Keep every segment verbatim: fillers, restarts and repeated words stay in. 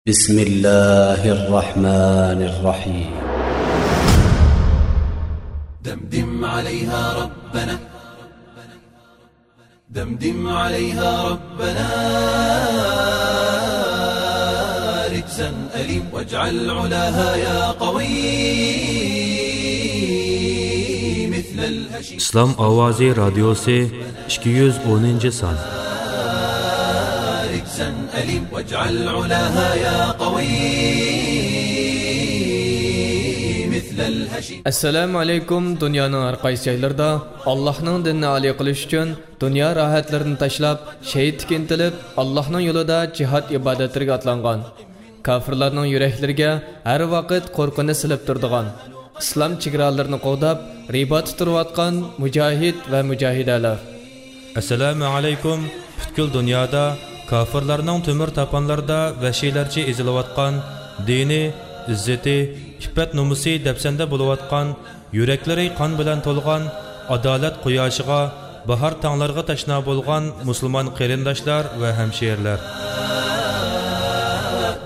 بسم الله الرحمن الرحيم. دمدم عليها ربنا، دمدم عليها ربنا رجزا أليم، واجعل علاها يا قوي مثل الهشيم. ئىسلام ئاۋازى رادىيوسى، ئىككى يۈز ئونىنچى سان. رجزا أليم، واجعل علاها يا قوي مثل الهشيم. ئەسسالامۇ ئەلەيكۇم. دۇنيانىڭ ھەر قايسى جايلىرىدا ئاللاھنىڭ دىنىنى ئالىي قىلىش ئۈچۈن، دۇنيا راھەتلىرىنى تاشلاپ، شېھىتلىككە ئىنتىلىپ، ئاللاھنىڭ يولىدا جىھاد ئىبادەتلىرىگە ئاتلانغان، كاپىرلارنىڭ يۈرەكلىرىگە ھەر ۋاقىت قورقۇنچ سېلىپ تۇرىدىغان، ئىسلام چېگرالىرىنى قوغداپ، رىباتتا تۇرۇۋاتقان مۇجاھىد ۋە مۇجاھىدەلەر. ئەسسالامۇ ئەلەيكۇم. پۈتكۈل دۇنيادا كاپىرلارنىڭ تۆمۈر تاپانلىرىدا ۋەھشىيلەرچە ئېزىلىۋاتقان، دىنى، ئىززىتى، ئىپپەت-نومۇسى دەپسەندە بولۇۋاتقان، يۈرەكلىرى قان بىلەن تولغان، ئادالەت قۇياشىغا، باھار تاڭلىرىغا تەشنا بولغان مۇسۇلمان قېرىنداشلار ۋە ھەمشىرىلەر.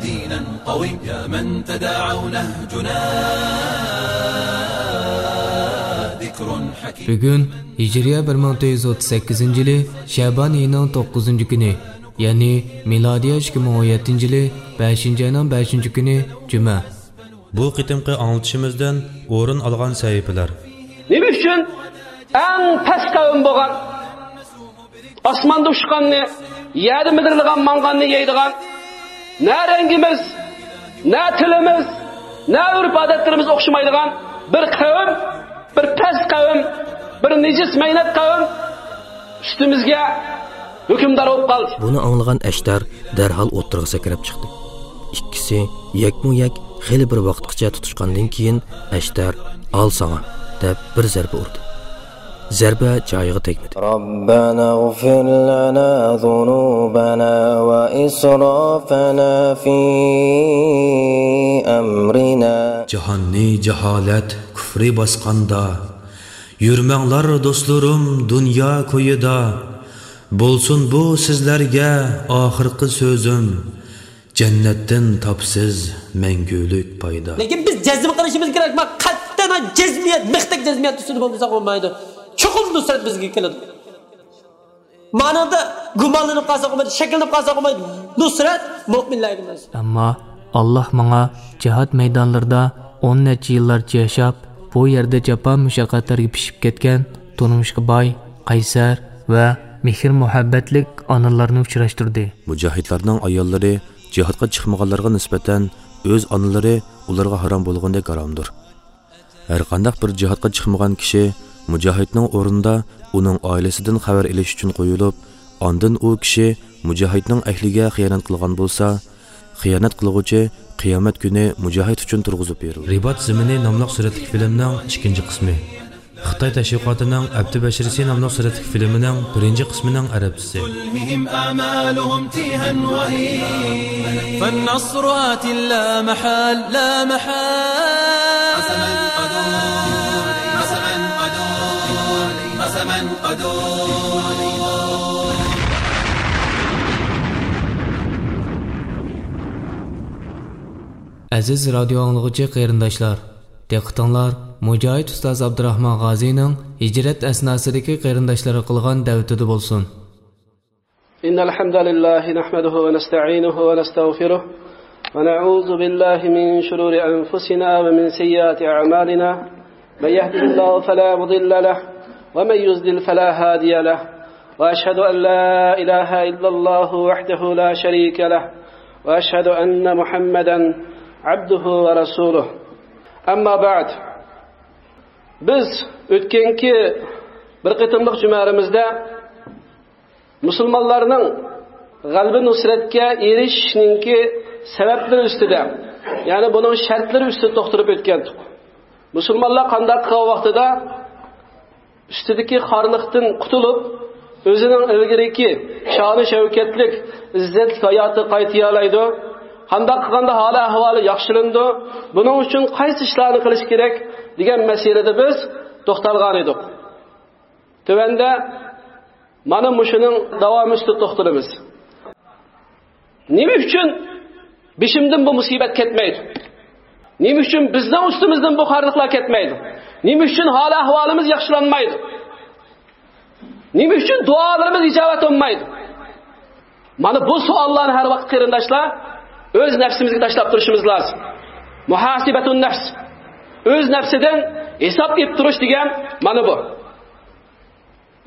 دينا قويم يا من تداعوا نهجنا ذكر حكيم. بۈگۈن ھىجرىيە بىر مىڭ تۆت يۈز ئوتتۇز سەككىزىنچى يىلى شەبان ئېيىنىڭ توققۇزىنچى كۈنى، يەنى مىلادىيە ئىككى مىڭ ئون يەتتىنچى يىلى بەشىنچى ئاينىڭ بەشىنچى كۈنى جۈمە. بۇ قېتىمقى ئاڭلىتىشىمىزدىن ئورۇن ئالغان سەھىپىلەر. نېمە ئۈچۈن ئەڭ پەس قەۋم بولغان، ئاسماندا ئۇچقاننى، يەردە مىدىرلىغان، ماڭغاننى يەيدىغان، نە رەڭگىمىز، نە تىلىمىز، نە ئۆرپ-ئادەتلىرىمىز ئوخشىمايدىغان بىر قەۋم، بىر پەس قەۋم، بىر نىجىس مەينەت قەۋم ئۈستىمىزگە ھۆكۈمدار بولۇپ قالدى. بۇنى ئاڭلىغان ئەشتەر دەرھال ئوتتۇرىغا سەكرەپ چىقتى. ئىككىسى يەكمۇ يەك خېلى بىر ۋاقىتقىچە تۇتۇشقاندىن كېيىن، ئەشتەر «ئال ساڭا» دەپ بىر زەربە ئۇردى. زەربە جايىغا تەگمىدى. ربنا اغفر لنا ذنوبنا وإسرافنا في أمرنا. جاھاننى جاھالەت، كۇفرى باسقاندا، يۈرمەڭلار دوستلىرىم دۇنيا كويىدا. بولسۇن بۇ سىزلەرگە ئاخىرقى سۆزۈم، جەننەتتىن تاپىسىز مەڭگۈلۈك پايدا. لېكىن بىز جەزم قىلىشىمىز كېرەك، ما قەتئىيەن جەزمىيەت، مىختەك جەزمىيەت ئۈستىدە بولمىساق بولمايدۇ. چوقۇم نۇسرەت بىزگە كېلىدۇ. مانىڭدا گۇمانلىنىپ قالساق بولمايدۇ، شەكلىنىپ قالساق بولمايدۇ. نۇسرەت مۆمىنلەرگە مەنزۇر. ئەمما ئاللاھ ماڭا جىھاد مەيدانلىرىدا ئون نەچچە يىللارچە ياشاپ، بۇ يەردە جاپا-مۇشەققەتلەرگە پىشىپ كەتكەن، تۇرمۇشقا باي، قەيسەر ۋە مېھىر-مۇھەببەتلىك ئانىلارنى ئۇچراشتۇردى. مۇجاھىدلارنىڭ ئاياللىرى جىھادقا چىقمىغانلارغا نىسبەتەن ئۆز ئانىلىرى ئۇلارغا ھارام بولغاندەك ھارامدۇر. ھەرقانداق بىر جىھادقا چىقمىغان كىشى مۇجاھىدنىڭ ئورنىدا ئۇنىڭ ئائىلىسىدىن خەۋەر ئېلىش ئۈچۈن قويۇلۇپ، ئاندىن ئۇ كىشى مۇجاھىدنىڭ ئەھلىگە خىيانەت قىلغان بولسا، خىيانەت قىلغۇچى قىيامەت كۈنى مۇجاھىد ئۈچۈن تۇرغۇزۇپ بېرىلىدۇ. رىبات زېمىنى ناملىق سۈرەتلىك فىلىمنىڭ ئىككىنچى قىسمى. خىتاي تەشۋىقاتىنىڭ ئەپتى بەشىرىسى ناملىق سۈرەتلىك فىلىمىنىڭ بىرىنچى قىسمىنىڭ ئەرەبچىسى. تلههم آمالهم تيها وهين، فالنصر آت لا محال، لا محال. قسما قدور، قسما قدور، قسما قدور. ئەزىز رادىيو ئاڭلىغۇچى قېرىنداشلار، دىققىتىڭلار مۇجاھىد ئۇستاز ئابدۇراخمان غازىنىڭ ھىجرەت ئەسناسىدىكى قېرىنداشلارغا قىلغان دەۋىتىدە بولسۇن. إن الحمد لله نحمده ونستعينه ونستغفره ونعوذ بالله من شرور أنفسنا ومن سيئات أعمالنا. من يهده الله فلا مضل له ومن يضلل فلا هادي له. وأشهد أن لا إله إلا الله وحده لا شريك له. وأشهد أن محمدا عبده ورسوله. أما بعد. بىز ئۆتكەنكى بىر قېتىملىق جۈمەلىرىمىزدە مۇسۇلمانلارنىڭ غەلىبە نۇسرەتكە ئېرىشىشنىڭكى سەۋەبلىرى ئۈستىدە، يەنى بۇنىڭ شەرتلىرى ئۈستىدە توختىلىپ ئۆتكەنتۇق. مۇسۇلمانلار قانداق قىلغان ۋاقتىدا ئۈستىدىكى خارلىقتىن قۇتۇلۇپ، ئۆزىنىڭ ئىلگىرىكى شانۇ شەۋكەتلىك، ئىززەتلىك ھاياتىغا قايتىيالايدۇ؟ قانداق قىلغاندا ھالى ئەھۋالى ياخشىلىنىدۇ؟ بۇنىڭ ئۈچۈن قايسى ئىشلارنى قىلىش كېرەك؟ دېگەن مەسىلىدە بىز توختالغان ئىدۇق. تۆۋەندە مانا مۇشۇنىڭ داۋامى ئۈستىدە توختىلىمىز. نېمە ئۈچۈن بېشىمدىن بۇ مۇسىبەت كەتمەيدۇ؟ نېمە ئۈچۈن بىزنىڭ ئۈستىمىزدىن بۇ خارلىقلار كەتمەيدۇ؟ نېمە ئۈچۈن ھال-ئەھۋالىمىز ياخشىلانمايدۇ؟ نېمە ئۈچۈن دۇئالىرىمىز ئىجابەت بولمايدۇ؟ مانا بۇ سوئاللارنى ھەر ۋاقىت، قېرىنداشلار، ئۆز نەپسىمىزگە تاشلاپ تۇرۇشىمىز لازىم. مۇھاسىبەتۇن نەفس. ئۆز نەپسىدىن ھېساب ئېلىپ تۇرۇش دېگەن مانا بۇ.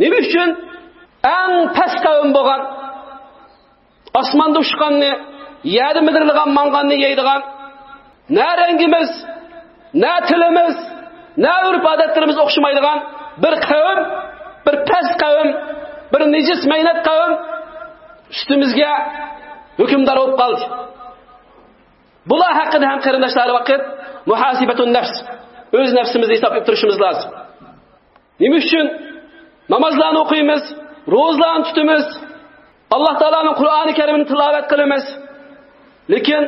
نېمە ئۈچۈن ئەڭ پەس قەۋم بولغان، ئاسماندا ئۇچقاننى، يەردە مىدىرلىغان، ماڭغاننى يەيدىغان، نە رەڭگىمىز، نە تىلىمىز، نە ئۆرپ-ئادەتلىرىمىز ئوخشىمايدىغان بىر قەۋم، بىر پەس قەۋم، بىر نىجىس مەينەت قەۋم ئۈستىمىزگە ھۆكۈمدار بولۇپ قالدى. بۇلار ھەققىدە ھەم، قېرىنداشلار، ھەر ۋاقىت مۇھاسىبەتۇن نەفس، ئۆز نەپسىمىزنى ھېساب ئېلىپ تۇرۇشىمىز لازىم. نېمە ئۈچۈن نامازلارنى ئوقۇيمىز، روزىلارنى تۇتىمىز، ئاللا تائالانىڭ قۇرئانى كەرىمىنى تىلاۋەت قىلىمىز، لېكىن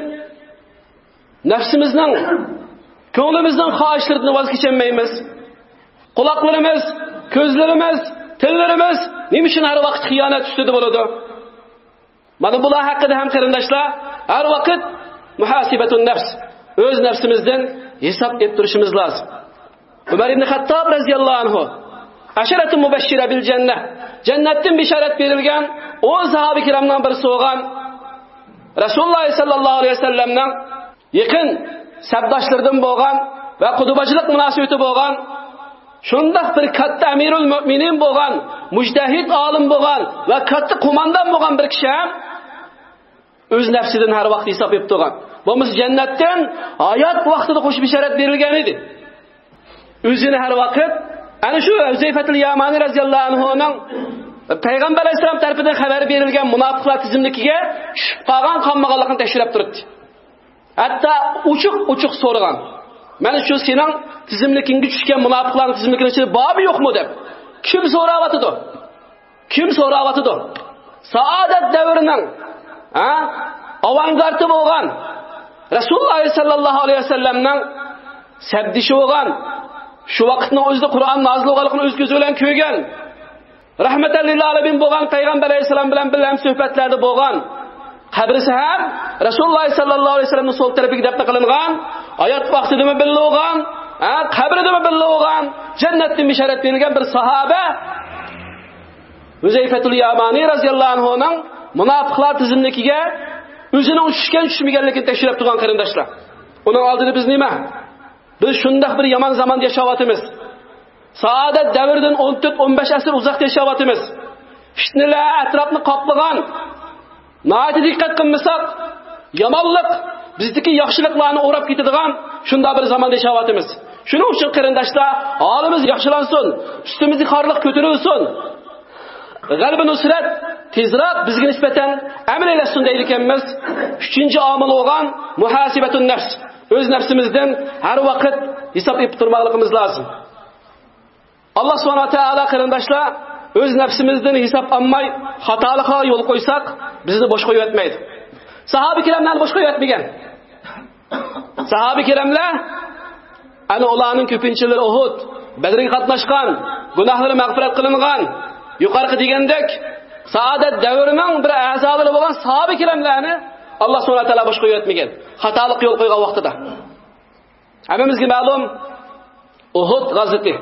نەپسىمىزنىڭ، كۆڭلىمىزنىڭ خاھىشلىرىدىن ۋاز كېچەلمەيمىز؟ قۇلاقلىرىمىز، كۆزلىرىمىز، تىللىرىمىز نېمە ئۈچۈن ھەر ۋاقىت خىيانەت ئۈستىدە بولىدۇ؟ مانا بۇلار ھەققىدە ھەم، قېرىنداشلار، ھەر ۋاقىت مۇھاسىبەتۇن نەفس، ئۆز نەپسىمىزدىن ھېساب ئېلىپ تۇرۇشىمىز لازىم. ئۆمەر ئىبنى خەتتاب رەزىياللاھۇ ئەنھۇ، ئەشەرەتۇ مۇبەششىرە بىل جەننە، جەننەتتىن بېشارەت بېرىلگەن ئون ساھابە كىرامنىڭ بىرسى بولغان، رەسۇلۇللاھ سەللەللاھۇ ئەلەيھى ۋەسەللەمنىڭ يېقىن سەپداشلىرىدىن بولغان ۋە قۇدۇباچىلىق مۇناسىۋىتى بولغان، شۇنداق بىر كاتتا ئەمىرۇل مۆمىنىن بولغان، مۇجتەھىد ئالىم بولغان ۋە كاتتا قوماندان بولغان بىر كىشى ھەم ئۆز نەپسىدىن ھەر ۋاقىت ھېساب ئېلىپ تۇرغان. بولمىسا جەننەتتىن ھايات ۋاقتىدا قوشۇپ بېشارەت بېرىلگەن ئىدى. ئۆزىنى ھەر ۋاقىت ئەنە شۇ ھۇزەيفەتۇل يامانى رەزىياللاھۇ ئەنھۇنىڭ پەيغەمبەر ئەلەيھىسسالام تەرىپىدىن خەۋەر بېرىلگەن مۇناپىقلار تىزىملىكىگە چۈشۈپ قالغان، قالمىغانلىقىنى تەكشۈرۈپ تۇراتتى. ھەتتا ئوچۇق-ئوچۇق سورىغان، مانا شۇ سېنىڭ تىزىملىكىڭگە چۈشكەن مۇناپىقلارنىڭ تىزىملىكىنىڭ ئىچىدە بارمۇ يوقمۇ دەپ. كىم سوراۋاتىدۇ؟ كىم سوراۋاتىدۇ؟ سائادەت دەۋرىنىڭ، ھە، ئاۋانگارتى بولغان، رەسۇلۇللاھ سەللەللاھۇ ئەلەيھى ۋەسەللەمنىڭ سەپدىشى بولغان، شۇ ۋاقىتنىڭ ئۆزىدە قۇرئان نازىل بولغانلىقىنى ئۆز كۆزى بىلەن كۆرگەن، رەھمەتەن لىل ئالەمىن بولغان پەيغەمبەر ئەلەيھىسسالام بىلەن بىللە ھەمسۆھبەتلەردە بولغان، قەبرىسى ھەم رەسۇلۇللاھ سەللەللاھۇ ئەلەيھى ۋەسەللەمنىڭ سول تەرىپىگە دەپنە قىلىنغان، ھايات ۋاقتىدىمۇ بىللە بولغان، ھە، قەبرىدىمۇ بىللە بولغان، جەننەتتىن بېشارەت بېرىلگەن بىر ساھابە ھۇزەيفەتۇل يامانى رەزىياللاھۇ ئەنھۇنىڭ مۇناپىقلار تىزىملىكىگە ئۆزىنىڭ چۈشكەن چۈشمىگەنلىكىنى تەكشۈرۈپ تۇرغان، قېرىنداشلار. ئۇنىڭ ئالدىدا بىز نېمە؟ بىز شۇنداق بىر يامان زاماندا ياشاۋاتىمىز. سائادەت دەۋرىدىن ئون تۆت، ئون بەش ئەسىر ئۇزاقتا ياشاۋاتىمىز. پىتنىلەر ئەتراپنى قاپلىغان، ناھايىتى دىققەت قىلمىساق، يامانلىق بىزدىكى ياخشىلىقلارنى ئوراپ كېتىدىغان شۇنداق بىر زاماندا ياشاۋاتىمىز. شۇنىڭ ئۈچۈن، قېرىنداشلار، ھالىمىز ياخشىلانسۇن، ئۈستىمىزدىكى خارلىق كۆتۈرۈلسۇن. غەلىبە نۇسرەت تېزراق بىزگە نىسبەتەن ئەمەلىيلەشسۇن دەيدىكەنمىز. ئۈچىنچى ئامىل بولغان مۇھاسىبەتۇن نەفس، ئۆز نەپسىمىزدىن ھەر ۋاقىت ھېساب ئېلىپ تۇرماقلىقىمىز لازىم. ئاللا سۇبھانەھۇ ۋە تائالا، قېرىنداشلار، ئۆز نەپسىمىزدىن ھېساب ئالماي خاتالىققا يول قويساق، بىزنى بوش قويۇۋەتمەيدۇ. ساھابە كىراملارنى بوش قويۇۋەتمىگەن. ساھابە كىراملار، ئەنە ئۇلارنىڭ كۆپىنچىلىرى ئۇھۇد، بەدرگە قاتناشقان، گۇناھلىرى مەغپىرەت قىلىنغان، يۇقىرىقى دېگەندەك سائادەت دەۋرىنىڭ بىر ئەزالىرى بولغان ساھابە كىراملارنى ئاللا سۇبھانەھۇ ۋە تائالا بوش قويۇۋەتمىگەن. خاتالىققا يول قويغان ۋاقتىدا. ھەممىمىزگە مەلۇم، ئۇھۇد غازىتى.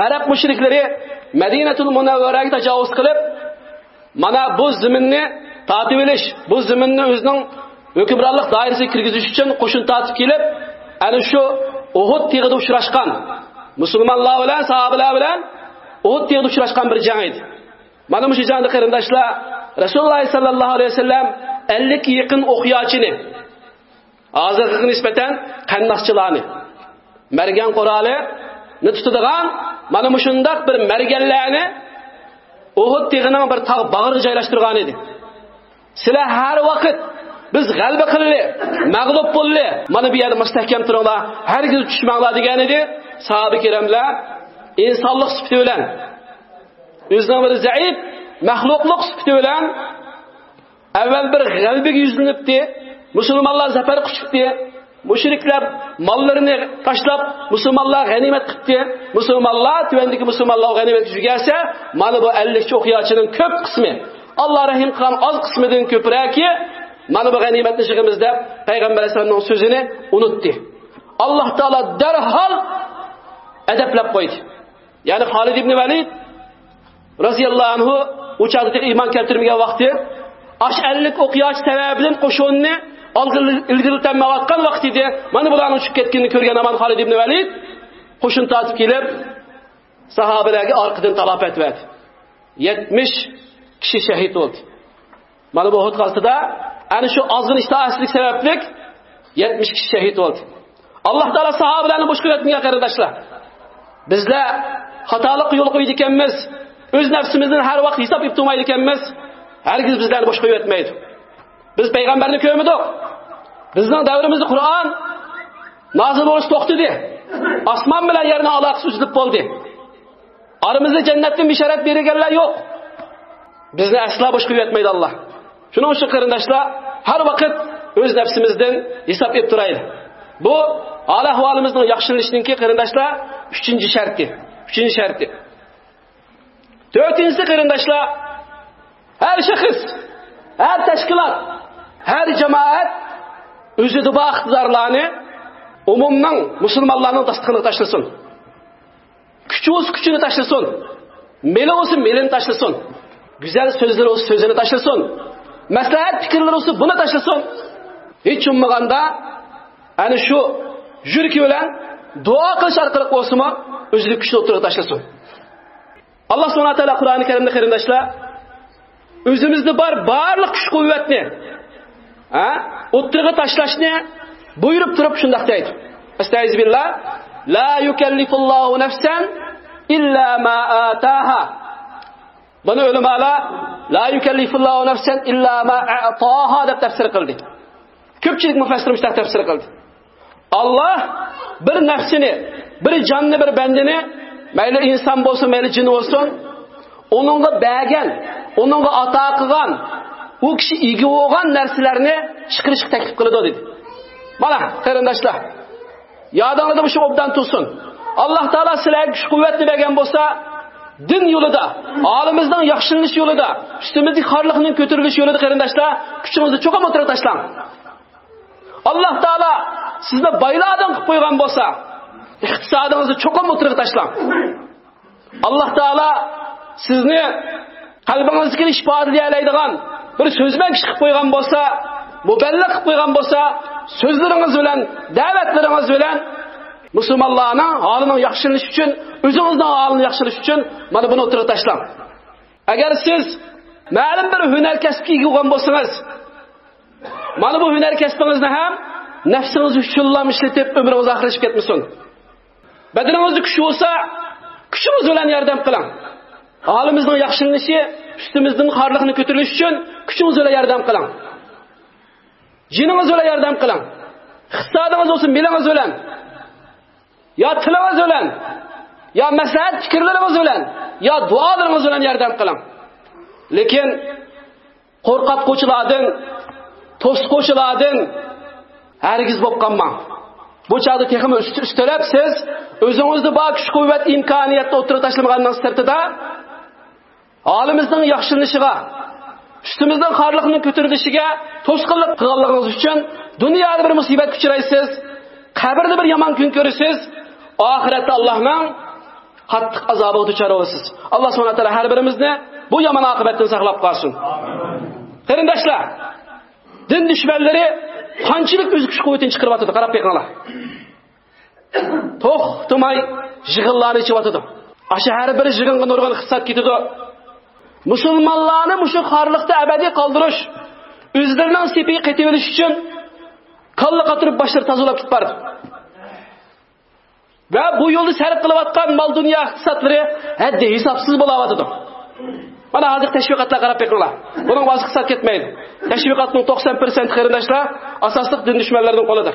ئەرەب مۇشرىكلىرى مەدىنەتۇل مۇنەۋۋەرەگە تاجاۋۇز قىلىپ، مانا بۇ زېمىننى تارتىۋېلىش، بۇ زېمىننى ئۆزىنىڭ ھۆكۈمرانلىق دائىرىسىگە كىرگۈزۈش ئۈچۈن قوشۇن تارتىپ كېلىپ، ئەنە شۇ ئۇھۇد تېغىدا ئۇچراشقان مۇسۇلمانلار بىلەن، ساھابىلەر بىلەن ئۇھۇد تېغىدا ئۇچراشقان بىر جەڭ ئىدى. مانا مۇشۇ جەڭدە، قېرىنداشلار، رەسۇلۇللاھ سەللەللاھۇ ئەلەيھى ۋەسەللەم ئەللىككە يېقىن ئوقياچىنى، ھازىرغىغا نىسبەتەن قانداقچىلارنى، مەرگەن قورالىنى تۇتىدىغان مانا مۇشۇنداق بىر مەرگەنلەرنى ئۇھۇد تېغىنىڭ بىر تاغ باغرىغا جايلاشتۇرغان ئىدى. سىلەر ھەر ۋاقىت بىز غەلىبە قىلىلى، مەغلۇپ بولىلى، مانا بۇ يەردە مۇستەھكەم تۇرۇڭلار، ھەرگىز چۈشمەڭلار دېگەن ئىدى. ساھابە كىراملار ئىنسانلىق سۈپىتى بىلەن، ئۆزىنىڭ بىر زەئىپ مەخلۇقلۇق سۈپىتى بىلەن ئەۋۋەل بىر غەلىبىگە يۈزلىنىپتى، مۇسۇلمانلار زەپەر قۇچۇپتى، مۇشرىكلار ماللىرىنى تاشلاپ، مۇسۇلمانلار غەنىيمەت قىپتى، مۇسۇلمانلار، تۆۋەندىكى مۇسۇلمانلار غەنىيمەتكە يۈگەرسە، مانا بۇ ئەللىكچە ئوقياچىنىڭ كۆپ قىسمى، ئاللا رەھىم قىلغان ئاز قىسمىدىن كۆپرەكى مانا بۇ غەنىيمەتنى يىغىمىز دەپ پەيغەمبەر ئەلەيھىسسالامنىڭ سۆزىنى ئۇنتتى. ئاللاھ تائالا دەرھال ئەدەپلەپ قويدى. يەنى خالىد ئىبنى ۋەلىد رەزىياللاھۇ ئەنھۇ ئۇ چاغدا تېخى ئىمان كەلتۈرمىگەن ۋاقتى، ئاش ئەللىك ئوق ياش سەۋەبىدىن قوشۇننى ئالغا ئىلگىرىلىتەلمەيۋاتقان ۋاقتى ئىدى. مانا بۇلارنىڭ چۈشۈپ كەتكىنىنى كۆرگەن ھامان خالىد ئىبنى ۋەلىد قوشۇن تارتىپ كېلىپ، ساھابىلەرگە ئارقىدىن تالاپەت بەردى. يەتمىش كىشى شەھىد بولدى. مانا بۇ ئۇھۇد غازىتىدا ئەنە شۇ ئازغىنە ئىتائەتسىزلىك سەۋەبلىك يەتمىش كىشى شەھىد بولدى. ئاللاھ تائالا ساھابىلەرنى بوش قويۇۋەتمىگەن، قېرىنداشلار. بىزلەر خاتالىققا يول قويىدىكەنمىز، ئۆز نەپسىمىزدىن ھەر ۋاقىت ھېساب ئېلىپ تۇرمايدىكەنمىز، ھەرگىز بىزلەرنى بوش قويۇۋەتمەيدۇ. بىز پەيغەمبەرنى كۆرمىدۇق. بىزنىڭ دەۋرىمىزدە قۇرئان نازىل بولۇش توختىدى. ئاسمان بىلەن يەرنىڭ ئالاقىسى ئۈزۈلۈپ بولدى. ئارىمىزدا جەننەتتىن بېشارەت بېرىلگەنلەر يوق. بىزنى ئەسلا بوش قويۇۋەتمەيدۇ ئاللاھ. شۇنىڭ ئۈچۈن قېرىنداشلار، ھەر ۋاقىت ئۆز نەپسىمىزدىن ھېساب ئېلىپ تۇرايلى. بۇ ھال-ئەھۋالىمىزنىڭ ياخشىلىنىشىنىڭكى قېرىنداشلار ئۈچىنچى شەرتى. ئۈچىنچى شەرتى. تۆتىنچىسى قېرىنداشلار، ھەر شەخس، ھەر تەشكىلات، ھەر جامائەت ئۆزىدە بار ئىقتىدارلارنى ئومۇمنىڭ، مۇسۇلمانلارنىڭ داستىخىنىغا تاشلىسۇن. كۈچى بولسا كۈچىنى تاشلىسۇن. مېلى بولسا مېلىنى تاشلىسۇن. گۈزەل سۆزلىرى بولسا سۆزىنى تاشلىسۇن. مەسلىھەت پىكىرلىرى بولسا بۇنى تاشلىسۇن. ھېچ بولمىغاندا ئەنە شۇ يۈرىكى بىلەن دۇئا قىلىش ئارقىلىق بولسىمۇ ئۆزىنىڭ كۈچىنى ئوتتۇرىغا تاشلىسۇن. ئاللاھ سۇبھانەھۇ ۋە تائالا قۇرئانى كەرىمدە قېرىنداشلار، ئۆزىمىزدە بار بارلىق كۈچ-قۇۋۋەتنى، ھە، ئوتتۇرىغا تاشلاشنى بۇيرۇپ تۇرۇپ شۇنداق دەيدۇ. ئەستەئىزۇبىللا. لا يكلف الله نفسا إلا ما آتاها. بۇنى ئۆلىمالار لا يكلف الله نفسا إلا ما أعطاها دەپ تەپسىر قىلدى. كۆپچىلىك مۇفەسسىر مۇشۇنداق تەپسىر قىلدى. ئاللاھ بىر نەپسىنى، بىر جاننى، بىر بەندىنى، مەيلى ئىنسان بولسۇن، مەيلى جىن بولسۇن، ئۇنىڭغا بەرگەن، ئۇنىڭغا ئاتا قىلغان، ئۇ كىشى ئىگە بولغان نەرسىلەرنى چىقىرىشقا تەكلىپ قىلىدۇ دېدى. مانا قېرىنداشلار، يادىڭلاردا مۇشۇ ئوبدان تۇرسۇن. ئاللاھ تائالا سىلەرگە كۈچ-قۇۋۋەتنى بەرگەن بولسا، دىن يولىدا، ھالىمىزنىڭ ياخشىلىنىش يولىدا، ئۈستىمىزدىكى خارلىقنىڭ كۆتۈرۈلۈش يولىدا قېرىنداشلار، كۈچىڭىزنى چوقۇم ئوتتۇرىغا تاشلاڭ. ئاللاھ تائالا سىزنى بايلاردىن قىلىپ قويغان بولسا، ئىقتىسادىڭىزنى چوقۇم ئوتتۇرىغا تاشلاڭ. ئاللاھ تائالا سىزنى قەلبىڭىزدىكىنى ئىپادىلىيەلەيدىغان بىر سۆزمەن كىشى قىلىپ قويغان بولسا، مۇبەللىغ قىلىپ قويغان بولسا، سۆزلىرىڭىز بىلەن، دەۋەتلىرىڭىز بىلەن مۇسۇلمانلارنىڭ ھالىنىڭ ياخشىلىنىشى ئۈچۈن، ئۆزىڭىزنىڭ ھالىنىڭ ياخشىلىنىشى ئۈچۈن مانا بۇنى ئوتتۇرىغا تاشلاڭ. ئەگەر سىز مەلۇم بىر ھۈنەر كەسىپكە ئىگە بولغان بولسىڭىز، مانا بۇ ھۈنەر كەسپىڭىزنى ھەم نەپسىڭىز ئۈچۈنلا ئىشلىتىپ، ئۆمرىڭىز ئاخىرلىشىپ كەتمىسۇن. بەدىنىڭىزدە كۈچ بولسا، كۈچىڭىز بىلەن ياردەم قىلىڭ. ھالىمىزنىڭ ياخشىلىنىشى، ئۈستىمىزدىن خارلىقنى كۆتۈرۈلۈشى ئۈچۈن كۈچىڭىز بىلەن ياردەم قىلىڭ. جېنىڭىز بىلەن ياردەم قىلىڭ. ئىقتىسادىڭىز بولسا، مېلىڭىز بىلەن. يا تىلىڭىز بىلەن، يا مەسلىھەت پىكىرلىرىڭىز بىلەن، يا دۇئالىرىڭىز بىلەن ياردەم قىلىڭ. لېكىن قورقۇتقۇچىلاردىن، توسقۇچىلاردىن ھەرگىز بولۇپ قالماڭ. بۇ چاغدا تېخىمۇ ئۈست-، ئۈستەلەپ سىز ئۆزىڭىزدە بار كۈچ-قۇۋۋەت، ئىمكانىيەتنى ئوتتۇرىغا تاشلىمىغاننىڭ سىرتىدا، ھالىمىزنىڭ ياخشىلىنىشىغا، ئۈستىمىزنىڭ خارلىقنىڭ كۆتۈرۈلۈشىگە توسقۇنلۇق قىلغانلىقىڭىز ئۈچۈن دۇنيادا بىر مۇسىبەتكە ئۇچرايسىز، قەبرىدە بىر يامان كۈن كۆرىسىز، ئاخىرەتتە ئاللاھنىڭ قاتتىق ئازابىغا دۇچار بولىسىز. ئاللاھ سۇبھانەھۇ ۋە تائالا ھەر بىرىمىزنى بۇ يامان ئاقىۋەتتىن ساقلاپ قالسۇن. قېرىنداشلار، دىن دۈشمەنلىرى قانچىلىك ئۆز كۈچ-قۇۋۋىتىنى چىقىرىۋاتىدۇ، قاراپ بېقىڭلار. توختىماي يىغىنلارنى ئېچىۋاتىدۇ. ئاشۇ ھەر بىر يىغىنغا نۇرغۇن ئىقتىساد كېتىدۇ. مۇسۇلمانلارنى مۇشۇ خارلىقتا ئەبەدىي قالدۇرۇش، ئۆزلىرىنىڭ سېپىگە قېتىۋېلىش ئۈچۈن كاللا قاتۇرۇپ باشلىرى تازىلاپ كېتىپ بارىدۇ. ۋە بۇ يولدا سەرپ قىلىۋاتقان مال-دۇنيا ئىقتىسادلىرى ھەددى-ھېسابسىز بولاۋاتىدۇ. مانا ھازىر تەشۋىقاتلارغا قاراپ بېقىڭلار. بۇنىڭ ۋاز ئىقتىساد كەتمەيدۇ. تەشۋىقاتنىڭ توقسان پىرسەنت قېرىنداشلار ئاساسلىق دىن دۈشمەنلىرىنىڭ قولىدا.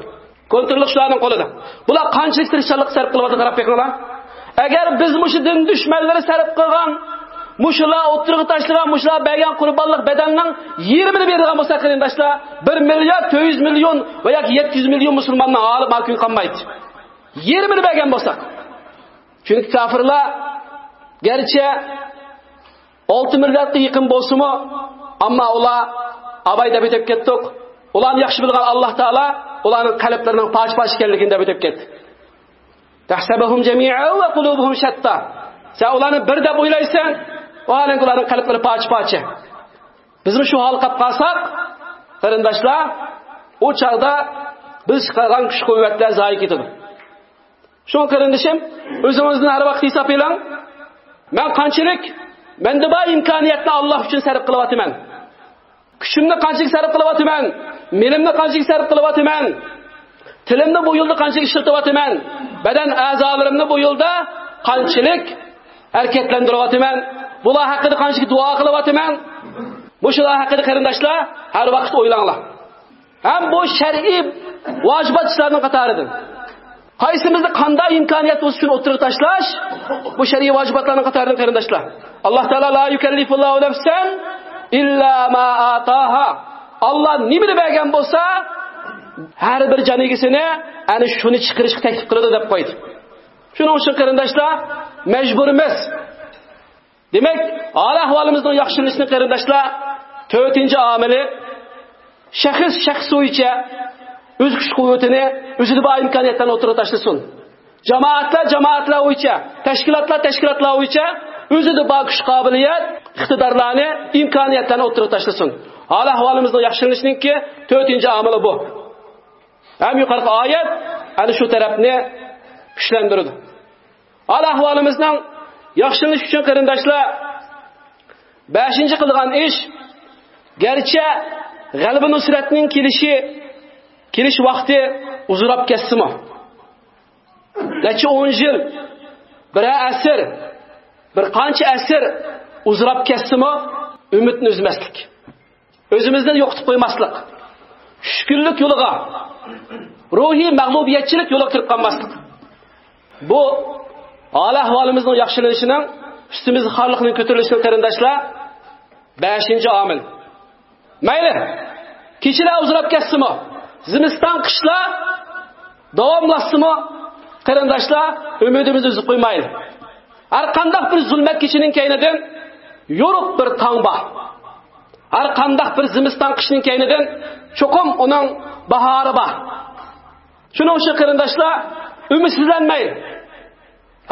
كونتروللۇق شۇلارنىڭ قولىدا. بۇلار قانچىلىك تىرىشچانلىق سەرپ قىلىۋاتىدۇ، قاراپ بېقىڭلار. ئەگەر بىز مۇشۇ دىن دۈشمەنلىرى سەرپ قىلغان مۇشۇلار ئوتتۇرىغا تاشلىغان، مۇشۇلار بەرگەن قۇربانلىق بەدەلنىڭ يېرىمىنى بېرىدىغان بولسا، قېرىنداشلار، بىر مىليارد تۆت يۈز مىليون ۋە ياكى يەتتە يۈز مىليون مۇسۇلماننىڭ ھالى ماكۇن قالمايدۇ. يېرىمىنى بەرگەن بولساق. چۈنكى كاپىرلار گەرچە ئالتە مىلياردقا يېقىن بولسىمۇ، ئەمما ئۇلار ئاباي دەپ ئۆتۈپ كەتتۇق. ئۇلارنى ياخشى بىلىدىغان ئاللاھ تائالا ئۇلارنىڭ قەلبلىرىنىڭ پارچە-پارچە ئىكەنلىكىنى دەپ ئۆتۈپ كەتتى. تەھسەبۇھۇم جەمىئەن ۋە قۇلۇبۇھۇم شەتتا. سەن ئۇلارنى بىر دەپ ئويلايسەن، ۋاھالەنكى ئۇلارنىڭ قەلبلىرى پارچە-پارچە. بىزمۇ شۇ ھالغا قاپ قالساق، قېرىنداشلار، ئۇ چاغدا بىز چىقارغان كۈچ-قۇۋۋەتلەر زايە كېتىدۇ. شۇڭا قېرىندىشىم، ئۆزىڭىزدىن ھەر ۋاقىت ھېساب ئېلىڭ. مەن قانچىلىك مەندە بار ئىمكانىيەتنى ئاللاھ ئۈچۈن سەرپ قىلىۋاتىمەن؟ كۈچۈمنى قانچىلىك سەرپ قىلىۋاتىمەن؟ مېلىمنى قانچىلىك سەرپ قىلىۋاتىمەن؟ تىلىمنى بۇ يولدا قانچىلىك ئىشلىتىۋاتىمەن؟ بەدەن ئەزالىرىمنى بۇ يولدا قانچىلىك ھەرىكەتلەندۈرۈۋاتىمەن؟ بۇلار ھەققىدە قانچىلىك دۇئا قىلىۋاتىمەن؟ مۇشۇلار ھەققىدە، قېرىنداشلار، ھەر ۋاقىت ئويلاڭلار. ھەم بۇ شەرئىي ۋاجىبات ئىشلارنىڭ قاتارىدىن. قايسىمىزدا قانداق ئىمكانىيەت بولسا، شۇنى ئوتتۇرىغا تاشلاش، بۇ شەرئىي ۋاجىباتلارنىڭ قاتارىدىن، قېرىنداشلار. ئاللاھ تائالا، لا يۇكەللىفۇللاھۇ نەفسەن ئىللا ما ئاتاھا. ئاللاھ نېمىنى بەرگەن بولسا، ھەر بىر جان ئىگىسىنى ئەنە شۇنى چىقىرىشقا تەكلىپ قىلىدۇ، دەپ قويدى. شۇنىڭ ئۈچۈن، قېرىنداشلار، مەجبۇرمىز. دېمەك، ھال-ئەھۋالىمىزنىڭ ياخشىلىنىشىنىڭ، قېرىنداشلار، تۆتىنچى ئامىلى، شەخس شەخس بويىچە ئۆز كۈچ-قۇۋۋىتىنى، ئۆزىدە بار ئىمكانىيەتلەرنى ئوتتۇرىغا تاشلىسۇن. جامائەتلەر جامائەتلەر بويىچە، تەشكىلاتلار تەشكىلاتلار بويىچە ئۆزىدە بار كۈچ-قابىلىيەت، ئىقتىدارلارنى، ئىمكانىيەتلەرنى ئوتتۇرىغا تاشلىسۇن. ھال-ئەھۋالىمىزنىڭ ياخشىلىنىشىنىڭكى تۆتىنچى ئامىلى بۇ. ھەم يۇقىرىقى ئايەت ئەنە شۇ تەرەپنى كۈچلەندۈرىدۇ. ھال-ئەھۋالىمىزنىڭ ياخشىلىنىشى ئۈچۈن، قېرىنداشلار، بەشىنچى قىلىدىغان ئىش، گەرچە غەلىبە-نۇسرەتنىڭ كېلىشى، كېلىش ۋاقتى ئۇزىراپ كەتسىمۇ، نەچچە ئون يىل، بىرەر ئەسىر، بىر قانچە ئەسىر ئۇزىراپ كەتسىمۇ، ئۈمىدنى ئۈزمەسلىك. ئۆزىمىزنى يوقىتىپ قويماسلىق، چۈشكۈنلۈك يولىغا، روھىي مەغلۇبىيەتچىلىك يولىغا كىرىپ قالماسلىق. بۇ ھال-ئەھۋالىمىزنىڭ ياخشىلىنىشىنىڭ، ئۈستىمىزدە خارلىقنىڭ كۆتۈرۈلۈشىنىڭ، قېرىنداشلار، بەشىنچى ئامىل. مەيلى، كېچىلەر ئۇزىراپ كەتسىمۇ، زىمىستان، قىشلار داۋاملاشسىمۇ، قېرىنداشلار، ئۈمىدىمىزنى ئۈزۈپ قويمايلى. ھەر قانداق بىر زۇلمەت كېچىنىڭ كەينىدىن يورۇق بىر تاڭ بار. ھەر قانداق بىر زىمىستان، قىشنىڭ كەينىدىن چوقۇم ئۇنىڭ باھارى بار. شۇنىڭ ئۈچۈن، قېرىنداشلار، ئۈمىدسىزلەنمەيلى.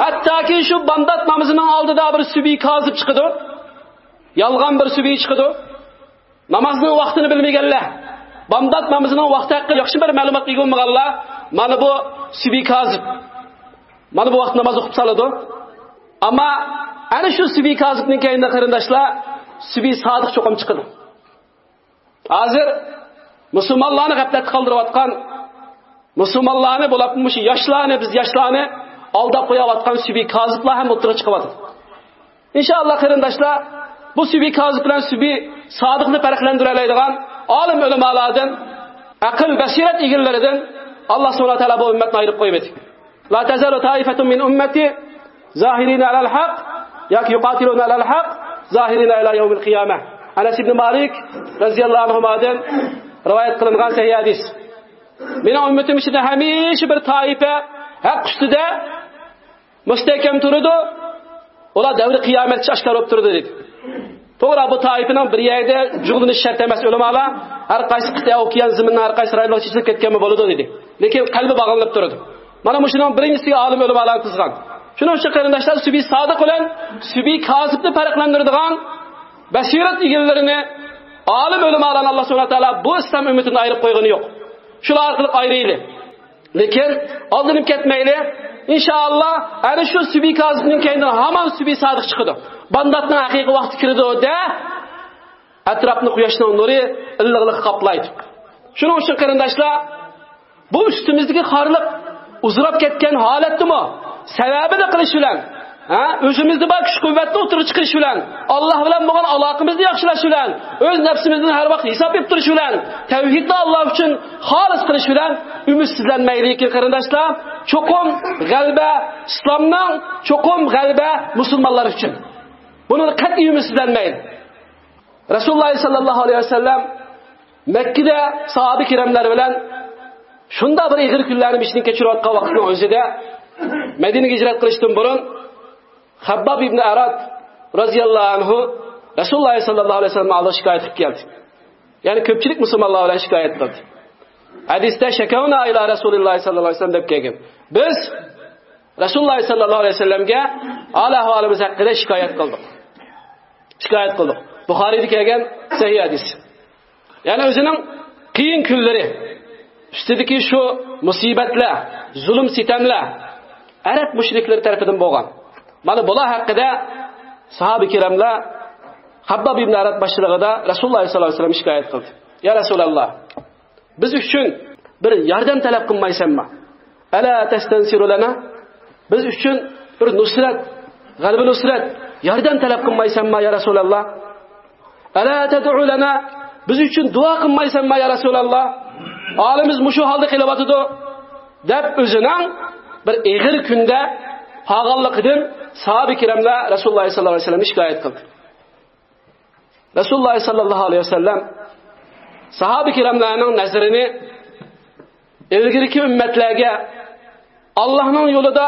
ھەتتاكى شۇ بامدات نامىزىنىڭ ئالدىدا بىر سۈبھى كازىب چىقىدۇ. يالغان بىر سۈبھى چىقىدۇ. نامازنىڭ ۋاقتىنى بىلمىگەنلەر، بامدات نامىزىنىڭ ۋاقتى ھەققىدە ياخشى بىر مەلۇماتقا ئىگە بولمىغانلار، مانا بۇ سۈبھى كازىب، مانا بۇ ۋاقىت ناماز ئوقۇپ سالىدۇ. ئەمما ئەنە شۇ سۈبھى كازىبنىڭ كەينىدە، قېرىنداشلار، سۈبھى سادىق چوقۇم چىقىدۇ. ھازىر مۇسۇلمانلارنى غەپلەتتە قالدۇرۇۋاتقان، مۇسۇلمانلارنى، بولۇپمۇ مۇشۇ ياشلارنى، بىز ياشلارنى ئالداپ قويۇۋاتقان سۈبھى كازىبلار ھەم ئوتتۇرىغا چىقىۋاتىدۇ. ئىنشائاللا، قېرىنداشلار، بۇ سۈبھى كازىب بىلەن سۈبھى سادىقنى پەرقلەندۈرەلەيدىغان ئالىم ئۆلىمالاردىن، ئەقىل بەسىرەت ئىگىلىرىدىن ئاللا سۇبھانەھۇ ۋە تائالا بۇ ئۈممەتنى ئايرىپ قويمىدى. لا تزال طائفة من أمتي ظاهرين على الحق ياكى يقاتلون على الحق ظاهرين إلى يوم القيامة. ئەنەس ئىبنى مالىك رەزىياللاھۇ ئەنھۇمادىن رىۋايەت قىلىنغان سەھىھ ھەدىس. مېنىڭ ئۈممىتىم ئىچىدە ھەمىشە بىر تائىپە ھەق ئۈستىدە مۇستەھكەم تۇرىدۇ. ئۇلار دەۋرى قىيامەتكىچە ئاشكارا بولۇپ تۇرىدۇ، دېدى. توغرا، بۇ تائىپىنىڭ بىر يەردە جۇغلىنىش شەرت ئەمەس، ئۆلىمالار. ھەر قايسى قىتئە ئوكيان زېمىننىڭ ھەر قايسى رايونلىرىغا چېچىلىپ كەتكەنمۇ بولىدۇ، دېدى. لېكىن قەلبى باغلىنىپ تۇرىدۇ. مانا مۇشۇنىڭ بىرىنچىسىگە ئالىم ئۆلىمالار قىزغان. شۇنىڭ ئۈچۈن، قېرىنداشلار، سۈبھى سادىق بىلەن سۈبھى كازىبنى پەرقلەندۈرىدىغان بەسىرەت ئىگىلىرىنى، ئالىم ئۆلىمالارنى ئاللا سۇبھانەھۇ ۋە تائالا بۇ ئىسلام ئۈممىتىدىن ئايرىپ قويغىنى يوق. شۇلار ئارقىلىق ئايرىيلى. لېكىن ئالدىنىپ كەتمەيلى. ئىنشائاللا، ئەنە شۇ سۈبھى كازىبنىڭ كەينىدىن ھامان سۈبھى سادىق چىقىدۇ. بامداتنىڭ ھەقىقىي ۋاقتى كىرىدۇ دە، ئەتراپنى قۇياشنىڭ نۇرى ئىللىقلىقى قاپلايدۇ. شۇنىڭ ئۈچۈن، قېرىنداشلار، بۇ ئۈستىمىزدىكى خارلىق ئۇزىراپ كەتكەن ھالەتتىمۇ، سەۋەبىنى قىلىش بىلەن، ھە، ئۆزىمىزدە بار كۈچ-قۇۋۋەتنى ئوتتۇرىغا چىقىرىش بىلەن، ئاللا بىلەن بولغان ئالاقىمىزنى ياخشىلاش بىلەن، ئۆز نەپسىمىزدىن ھەر ۋاقىت ھېساب بېرىپ تۇرۇش بىلەن، تەۋھىدنى ئاللا ئۈچۈن خالىس قىلىش بىلەن ئۈمىدسىزلەنمەيلى، قېرىنداشلار. چوقۇم غەلىبە ئىسلامنىڭ، چوقۇم غەلىبە مۇسۇلمانلار ئۈچۈن. بۇنى قەتئىي ئۈمىدسىزلەنمەيلى. رەسۇلۇللا ساللاللاھۇ ئەلەيھى ۋەسەللەم مەككىدە ساھابە كىراملار بىلەن شۇنداق بىر ئېغىر كۈنلەرنى بېشىدىن كەچۈرۈۋاتقان ۋاقىتنىڭ ئۆزىدە، مەدىنىگە ھىجرەت قىلىشتىن بۇرۇن خەبباب ئىبنى ئەرات رەزىياللاھۇ ئەنھۇ رەسۇلۇللا ساللاللاھۇ ئەلەيھى ۋەسەللەمنىڭ ئالدىغا شىكايەت قىلىپ كەلدى. يەنى كۆپچىلىك مۇسۇلمانلار بىلەن شىكايەت قىلدى. ھەدىستە «شەكەۋنا ئىلا رەسۇلىللاھى ساللاللاھۇ ئەلەيھى ۋەسەللەم» دەپ كەلگەن. بىز رەسۇلۇللاھ ساللاللاھۇ ئەلەيھى ۋەسەللەمگە ھال ئەھۋالىمىز ھەققىدە شىكايەت قىلدۇق. شىكايەت قىلدۇق. بۇخارىيدا كەلگەن سەھىھ ھەدىس. يەنى ئۆزىنىڭ قىيىن كۈنلىرى، ئۈستىدىكى شۇ مۇسىبەتلەر، زۇلۇم-سىتەملەر ئەرەب مۇشرىكلىرى تەرىپىدىن بولغان. مانا بۇلار ھەققىدە ساھابە كىراملار خابباب ئىبن ئارات باشچىلىقىدا رەسۇلۇللاھ ساللاللاھۇ ئەلەيھى ۋەسەللەم شىكايەت قىلدى. يا رەسۇلاللاھ، بىز ئۈچۈن بىر ياردەم تەلەپ قىلمايسەنما؟ ئەلا تەستەنسىرۇ لەنا؟ بىز ئۈچۈن بىر نۇسرەت، غەلىبە نۇسرەت، ياردەم تەلەپ قىلمايسەنما، يا رەسۇلاللاھ؟ ئەلا تەدئۇ لەنا؟ بىز ئۈچۈن دۇئا قىلمايسەنما، يا رەسۇلاللاھ؟ ھالىمىز مۇشۇ ھالدا قېلىۋاتىدۇ، دەپ ئۆزىنىڭ بىر ئېغىر كۈندە قالغانلىقىدىن ساھابە كىراملار رەسۇلۇللاھ ساللاللاھۇ ئەلەيھى ۋەسەللەمگە شىكايەت قىلدى. رەسۇلۇللاھ ساللاللاھۇ ئەلەيھى ۋەسەللەم ساھابە كىراملارنىڭ نەزىرىنى ئىلگىرىكى ئۈممەتلەرگە، ئاللاھنىڭ يولىدا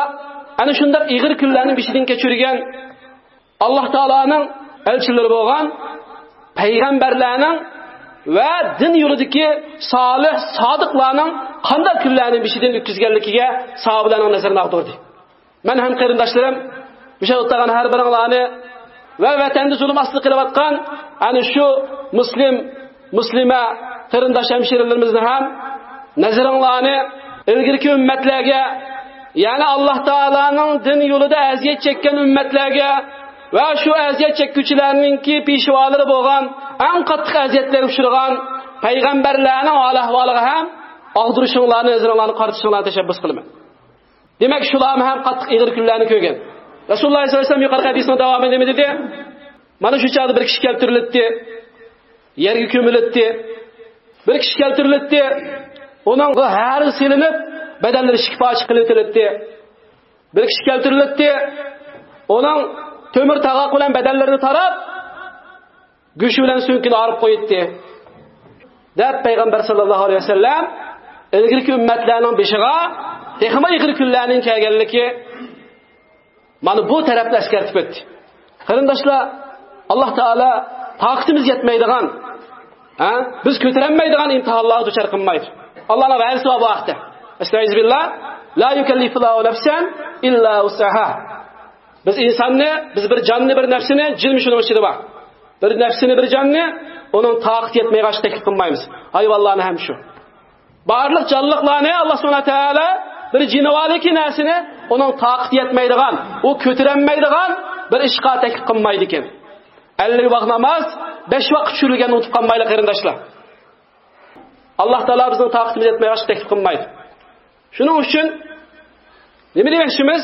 ئەنە شۇنداق ئېغىر كۈنلەرنى بېشىدىن كەچۈرگەن، ئاللاھ تائالانىڭ ئەلچىلىرى بولغان پەيغەمبەرلەرنىڭ ۋە دىن يولىدىكى سالىھ، سادىقلارنىڭ قانداق كۈنلەرنى بېشىدىن ئۆتكۈزگەنلىكىگە ساھابىلەرنىڭ نەزىرىنى ئاغدۇردى. مەن ھەم قېرىنداشلىرىم، مۇشۇ ئولتۇرغان ھەر بىرىڭلارنى ۋە ۋەتەندە زۇلۇم ئاستىدا قېلىۋاتقان ئەنە شۇ مۇسلىم، مۇسلىمە قېرىنداش ھەمشىرىلىرىمىزنى ھەم نەزىرىڭلارنى ئىلگىرىكى ئۈممەتلەرگە، يەنى ئاللاھ تائالانىڭ دىن يولىدا ئەزىيەت چەككەن ئۈممەتلەرگە ۋە شۇ ئەزىيەت چەككۈچىلەرنىڭكى پېشۋالىرى بولغان، ئەڭ قاتتىق ئەزىيەتلەرگە ئۇچرىغان پەيغەمبەرلەرنىڭ ھال-ئەھۋالىغا ھەم ئاغدۇرۇشۇڭلارنى، نەزىرىڭلارنى قارىتىشىڭلارنى تەشەببۇس قىلىمەن. دېمەك، شۇلارمۇ ھەم قاتتىق ئېغىر كۈنلەرنى كۆرگەن. رەسۇلۇللاھ ساللاللاھۇ ئەلەيھى ۋەسەللەم يۇقىرىقى ھەدىسنىڭ داۋامىدا نېمە دېدى؟ مانا شۇ چاغدا بىر كىشى كەلتۈرۈلۈپتى، يەرگە كۆمۈلۈپتى. بىر كىشى كەلتۈرۈلۈپتى، ئۇنىڭ ھەرىسى سېلىنىپ، بەدەنلىرى ئىككى پارچە قىلىۋېتىلىپتى. بىر كىشى كەلتۈرۈلۈپتى، ئۇنىڭ تۆمۈر تاغاق بىلەن بەدەنلىرىنى تاراپ، گۆشى بىلەن سۆڭىكىنى ئايرىپ قويۇپتى، دەپ پەيغەمبەر ساللاللاھۇ ئەلەيھى ۋەسەللەم ئىلگىرىكى ئۈممەتلەرنىڭ بېشىغا تېخىمۇ ئېغىر كۈنلەرنىڭ كەلگەنلىكى، مانا بۇ تەرەپنى ئەسكەرتىپ ئۆتتى. قېرىنداشلار، ئاللاھ تائالا تاقىتىمىز يەتمەيدىغان، ھە، بىز كۆتۈرەلمەيدىغان ئىمتىھانلارغا دۇچار قىلمايدۇ. ئاللاھنىڭ ۋەدىسى بار بۇ ھەقتە. ئەستەئىزۇبىللاھ. لا يۇكەللىفۇللاھۇ نەفسەن ئىللا ۋۇسئەھا. بىز ئىنساننى، بىز بىر جاننى، بىر نەپسىنى، جىنمۇ شۇنىڭ ئىچىدە بار. بىر نەپسىنى، بىر جاننى ئۇنىڭ تاقىتى يەتمەيدىغان ئىشقا تەكلىپ قىلمايمىز. ھايۋانلارنى ھەم شۇ. بارلىق جانلىقلارنى ئاللاھ سۇبھانەھۇ ۋە تائالا بىر جىنىۋالىكى نەرسىنى ئۇنىڭ تاقىتى يەتمەيدىغان، ئۇ كۆتۈرەلمەيدىغان بىر ئىشقا تەكلىپ قىلمايدىكەن. ئەللىك ۋاق ناماز، بەش ۋاق چۈشۈرۈلگەننى ئۇنتۇپ قالمايلى، قېرىنداشلار. ئاللاھ تائالا بىزنىڭ تاقىتىمىز يەتمەيدىغان ئىشقا تەكلىپ قىلمايدۇ. شۇنىڭ ئۈچۈن نېمە دېمەكچىمىز؟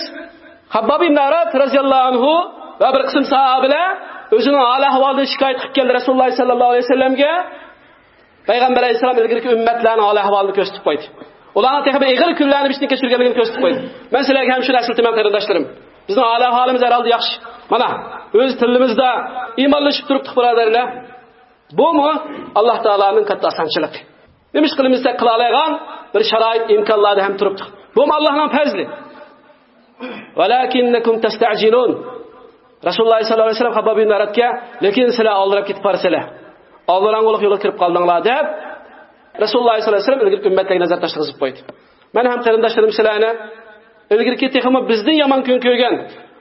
خابباب ئىبن ئارات رەزىياللاھۇ ئەنھۇ ۋە بىر قىسىم ساھابىلەر ئۆزىنىڭ ھال-ئەھۋالىدىن شىكايەت قىلىپ كەلدى رەسۇلۇللاھ ساللاللاھۇ ئەلەيھى ۋەسەللەمگە. پەيغەمبەر ئەلەيھىسسالام ئىلگىرىكى ئۈممەتلەرنىڭ ھال-ئەھۋالىنى كۆرسىتىپ قويدى. ئۇلارنىڭ تېخى بىر ئېغىر كۈنلەرنى بېشىدىن كەچۈرگەنلىكىنى كۆرسىتىپ قويدى. مەن سىلەرگە ھەم شۇنى ئەسلىتىمەن، قېرىنداشلىرىم. بىزنىڭ ھال-ئەھۋالىمىز ھەر ھالدا ياخشى. مانا، ئۆز تىلىمىزدا ئىمانلىشىپ تۇرۇپتۇق، بۇرادەرلەر. بۇمۇ ئاللاھ تائالانىڭ كاتتا ئاسانچىلىقى. نېمە ئىش قىلىمىز دېسەك، قىلالايدىغان بىر شارائىت، ئىمكانلاردا ھەم تۇرۇپتۇق. بۇمۇ ئاللاھنىڭ پەزلى. ۋەلاكىننەكۇم تەستەئجىلۇن. رەسۇلۇللاھ ساللاللاھۇ ئەلەيھى ۋەسەللەم خابباب ئىبن ئاراتقا، لېكىن سىلەر ئالدىراپ كېتىپ بارىسىلەر. ئالدىراڭغۇلۇق يولغا كىرىپ قالدىڭلار، دەپ رەسۇلۇللاھ ساللاللاھۇ ئەلەيھى ۋەسەللەم ئىلگىرىكى ئۈممەتلەرگە نەزەر تاشلىغۇزۇپ قويدى. مەن ھەم قېرىنداشلىرىم سىلەرنى ئىلگىرىكى تېخىمۇ بىزدىن يامان كۈن كۆرگەن،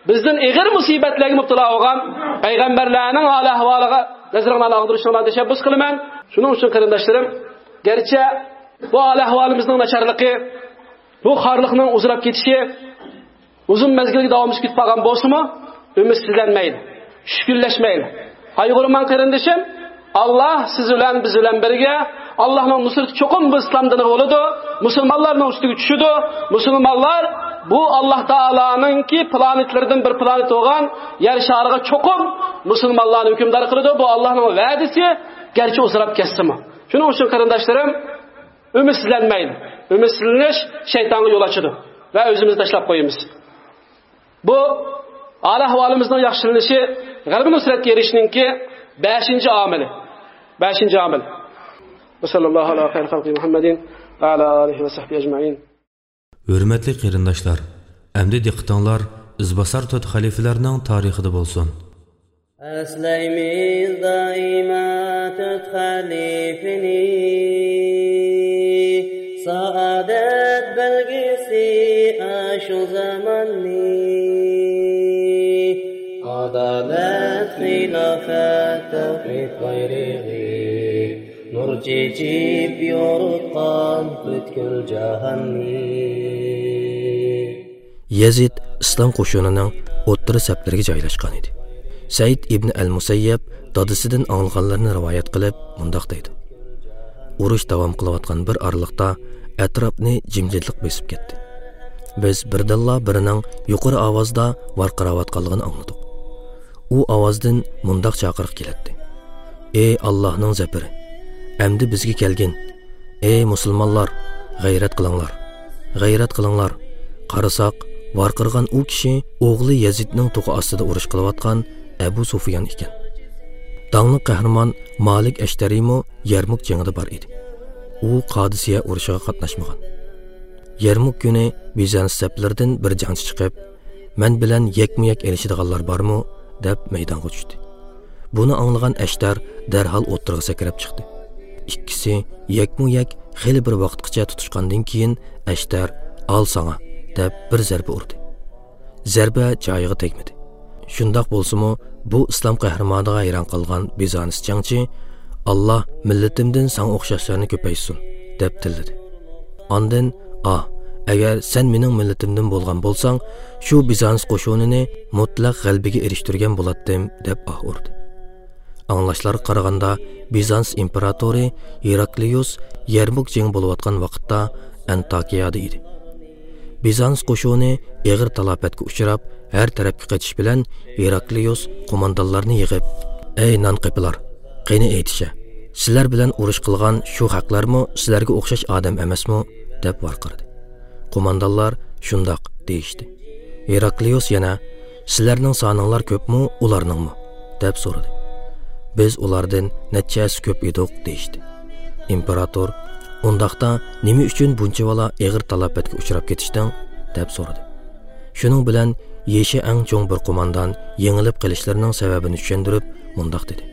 بىزدىن ئېغىر مۇسىبەتلەرگە مۇپتىلا بولغان پەيغەمبەرلەرنىڭ ھال-ئەھۋالىغا نەزىرىڭلارنى ئاغدۇرۇشۇڭلارنى تەشەببۇس قىلىمەن. شۇنىڭ ئۈچۈن قېرىنداشلىرىم، گەرچە بۇ ھال-ئەھۋالىمىزنىڭ ناچارلىقى، بۇ خارلىقنىڭ ئۇزىراپ كېتىشى ئۇزۇن مەزگىلگە داۋاملىشىپ كېتىپ قالغان بولسىمۇ، ئۈمىدسىزلەنمەيلى، چۈشكۈنلەشمەيلى. قايغۇرماڭ قېرىندىشىم، ئاللاھ سىز بىلەن، بىز بىلەن بىرگە. ئاللاھنىڭ نۇسرىتى چوقۇم بۇ ئىسلام دىنىغا بولىدۇ، مۇسۇلمانلارنىڭ ئۈستىگە چۈشىدۇ. مۇسۇلمانلار بۇ ئاللاھ تائالانىڭكى پلانېتلىرىدىن بىر پلانېت بولغان يەر شارىغا چوقۇم مۇسۇلمانلارنى ھۆكۈمدار قىلىدۇ. بۇ ئاللاھنىڭ ۋەدىسى، گەرچە ئۇزىراپ كەتسىمۇ. شۇنىڭ ئۈچۈن قېرىنداشلىرىم، ئۈمىدسىزلەنمەيلى. ئۈمىدسىزلىنىش شەيتانغا يول ئاچىدۇ ۋە ئۆزىمىزنى تاشلاپ قويىمىز. بۇ ھال-ئەھۋالىمىزنىڭ ياخشىلىنىشى، غەلىبە نۇسرەتكە ئېرىشىشنىڭكى بەشىنچى ئامىلى. بەشىنچى ئامىل. ۋە ساللاللاھۇ ئەلا خەيرى خەلقى مۇھەممەدىن ۋە ئەلا ئالىھى ۋە سەھبىھى ئەجمەئىن. ھۆرمەتلىك قېرىنداشلار، ئەمدى دىققىتىڭلار ئىزباسار تۆت خەلىپىلەرنىڭ تارىخىدا بولسۇن. ئەسلەيمىز دائىما تۆت خەلىپىنى، سائادەت بەلگىسى ئاشۇ زاماننى. ئادالەت، خىلاپەت، تەۋھىد بايرىقى، نۇر چېچىپ يورۇتقان پۈتكۈل جاھاننى. يەزىد ئىسلام قوشۇنىنىڭ ئوتتۇرا سەپلىرىگە جايلاشقان ئىدى. سەئىد ئىبن ئەل مۇسەييەب دادىسىدىن ئاڭلىغانلىرىنى رىۋايەت قىلىپ، مۇنداق دەيدۇ: ئۇرۇش داۋام قىلىۋاتقان بىر ئارىلىقتا ئەتراپنى جىمجىتلىق بېسىپ كەتتى. بىز بىردىنلا بىرىنىڭ يۇقىرى ئاۋازدا ۋارقىراۋاتقانلىقىنى ئاڭلىدۇق. ئۇ ئاۋازدىن مۇنداق چاقىرىق كېلەتتى: «ئەي ئاللاھنىڭ زەپىرى! ئەمدى بىزگە كەلگىن! ئەي مۇسۇلمانلار، غەيرەت قىلىڭلار! غەيرەت قىلىڭلار!» قارىساق، ۋارقىرىغان ئۇ كىشى ئوغلى يەزىدنىڭ توخۇ ئاستىدا ئۇرۇش قىلىۋاتقان ئەبۇ سۇفيان ئىكەن. داڭلىق قەھرىمان مالىك ئەشتەرىمۇ يەرمۇك جېڭىدا بار ئىدى. ئۇ قادىسىيە ئۇرۇشىغا قاتناشمىغان. يەرمۇك كۈنى بىزانس سەپلىرىدىن بىر جەڭچى چىقىپ، «مەن بىلەن يەكمۇ يەك ئېلىشىدىغانلار بارمۇ؟» دەپ مەيدانغا چۈشتى. بۇنى ئاڭلىغان ئەشتەر دەرھال ئوتتۇرىغا سەكرەپ چىقتى. ئىككىسى يەكمۇ يەك خېلى بىر ۋاقىتقىچە تۇتۇشقاندىن كېيىن، ئەشتەر «ئال ساڭا» دەپ بىر زەربە ئۇردى. زەربە جايىغا تەگمىدى. شۇنداق بولسىمۇ، بۇ ئىسلام قەھرىمانىغا ھەيران قالغان بىزانس جەڭچى: «ئاللا مىللىتىمدىن ساڭا ئوخشاشلارنى كۆپەيتسۇن» دەپ تىللىدى. ئاندىن: «ئا، ئەگەر سەن مېنىڭ مىللىتىمدىن بولغان بولساڭ، شۇ بىزانس قوشۇنىنى مۇتلەق غەلىبىگە ئېرىشتۈرگەن بولاتتىم» دەپ ئاھ ئۇردى. ئاڭلاشلارغا قارىغاندا، بىزانس ئىمپېراتورى ھېراكلىيۇس يەرمۇك جېڭى بولۇۋاتقان ۋاقىتتا ئەنتاكىيادا ئىدى. بىزانس قوشۇنى ئېغىر تالاپەتكە ئۇچراپ، ھەر تەرەپكە قېچىش بىلەن، ھېراكلىيۇس قوماندانلارنى يىغىپ: «ئەي نان قېپىلار، قېنى ئېيتىشە، سىلەر بىلەن ئۇرۇش قىلغان شۇ خەقلەرمۇ سىلەرگە ئوخشاش ئادەم ئەمەسمۇ؟» دەپ ۋارقىرىدى. قوماندانلار: «شۇنداق» دېيىشتى. ھېراكلىيۇس يەنە: «سىلەرنىڭ سانىڭلار كۆپمۇ، ئۇلارنىڭمۇ؟» دەپ سورىدى. «بىز ئۇلاردىن نەچچە ھەسسە كۆپ ئىدۇق» دېيىشتى. ئىمپېراتور: «ئۇنداقتا نېمە ئۈچۈن بۇنچىۋالا ئېغىر تالاپەتكە ئۇچراپ كېتىشتىڭ؟» دەپ سورىدى. شۇنىڭ بىلەن يېشى ئەڭ چوڭ بىر قوماندان يېڭىلىپ قېلىشلىرىنىڭ سەۋەبىنى چۈشەندۈرۈپ، مۇنداق دېدى: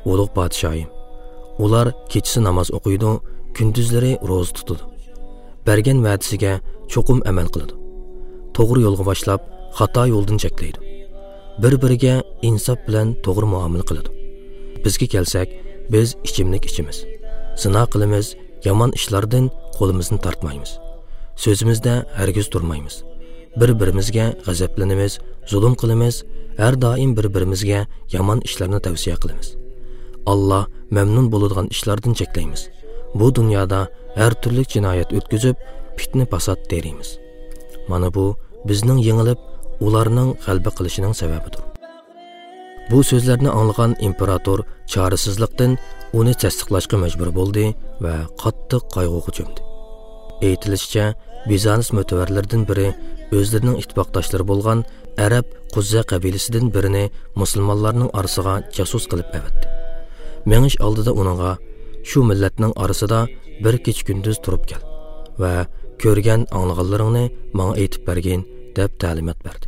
«ئۇلۇغ پادىشاھىم، ئۇلار كېچىسى ناماز ئوقۇيدۇ، كۈندۈزلىرى روزا تۇتىدۇ. بەرگەن ۋەدىسىگە چوقۇم ئەمەل قىلىدۇ. توغرا يولغا باشلاپ، خاتا يولدىن چەكلەيدۇ. بىر-بىرىگە ئىنساپ بىلەن توغرا مۇئامىلە قىلىدۇ. بىزگە كەلسەك، بىز ئىچىملىك ئىچىمىز. زىنا قىلىمىز، يامان ئىشلاردىن قولىمىزنى تارتمايمىز. سۆزىمىزدە ھەرگىز تۇرمايمىز. بىر-بىرىمىزگە غەزەپلىنىمىز، زۇلۇم قىلىمىز، ھەر دائىم بىر-بىرىمىزگە يامان ئىشلارنى تەۋسىيە قىلىمىز. ئاللا مەمنۇن بولىدىغان ئىشلاردىن چەكلەيمىز. بۇ دۇنيادا ھەر تۈرلۈك جىنايەت ئۆتكۈزۈپ، پىتنە-پاسات تېرىيمىز. مانا بۇ بىزنىڭ يېڭىلىپ، ئۇلارنىڭ غەلىبە قىلىشىنىڭ سەۋەبىدۇر.» بۇ سۆزلەرنى ئاڭلىغان ئىمپېراتور چارىسىزلىقتىن ئۇنى تەستىقلاشقا مەجبۇر بولدى ۋە قاتتىق قايغۇغا چۆمدى. ئېيتىلىشىچە، بىزانس مۆتىۋەرلىرىدىن بىرى ئۆزلىرىنىڭ ئىتتىپاقداشلىرى بولغان ئەرەب قۇززە قەبىلىسىدىن بىرىنى مۇسۇلمانلارنىڭ ئارىسىغا جاسۇس قىلىپ ئەۋەتتى. مېڭىش ئالدىدا ئۇنىڭغا: «شۇ مىللەتنىڭ ئارىسىدا بىر كېچە-كۈندۈز تۇرۇپ كەل ۋە كۆرگەن-ئاڭلىغانلىرىڭنى ماڭا ئېيتىپ بەرگىن» دەپ تەلىمات بەردى.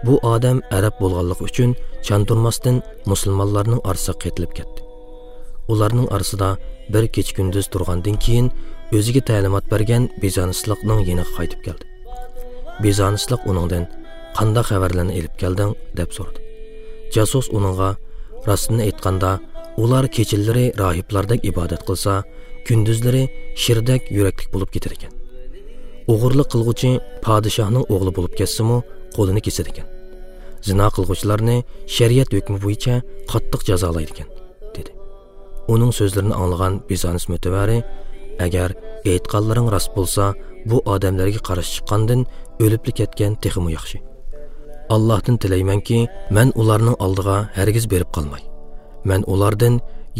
بۇ ئادەم ئەرەب بولغانلىقى ئۈچۈن چاندۇرماستىن مۇسۇلمانلارنىڭ ئارىسىغا قېتىلىپ كەتتى. ئۇلارنىڭ ئارىسىدا بىر كېچە-كۈندۈز تۇرغاندىن كېيىن، ئۆزىگە تەلىمات بەرگەن بىزانسلىقنىڭ يېنىغا قايتىپ كەلدى. بىزانسلىق ئۇنىڭدىن: «قانداق خەۋەرلەرنى ئېلىپ كەلدىڭ؟» دەپ سورىدى. جاسۇس ئۇنىڭغا: «راستىنى ئېيتقاندا، ئۇلار كېچىلىرى راھىبلاردەك ئىبادەت قىلسا، كۈندۈزلىرى شىردەك يۈرەكلىك بولۇپ كېتىدىكەن. ئوغرىلىق قىلغۇچى پادىشاھنىڭ ئوغلى بولۇپ كەتسىمۇ، قولىنى كېسىدىكەن. زىنا قىلغۇچىلارنى شەرىئەت ھۆكمى بويىچە قاتتىق جازالايدىكەن» دېدى. ئۇنىڭ سۆزلىرىنى ئاڭلىغان بىزانس مۆتىۋەرى: «ئەگەر ئېيتقانلىرىڭ راست بولسا، بۇ ئادەملەرگە قارشى چىققاندىن ئۆلۈپلا كەتكەن تېخىمۇ ياخشى. ئاللاھتىن تىلەيمەنكى، مەن ئۇلارنىڭ ئالدىغا ھەرگىز بېرىپ قالماي. مەن ئۇلاردىن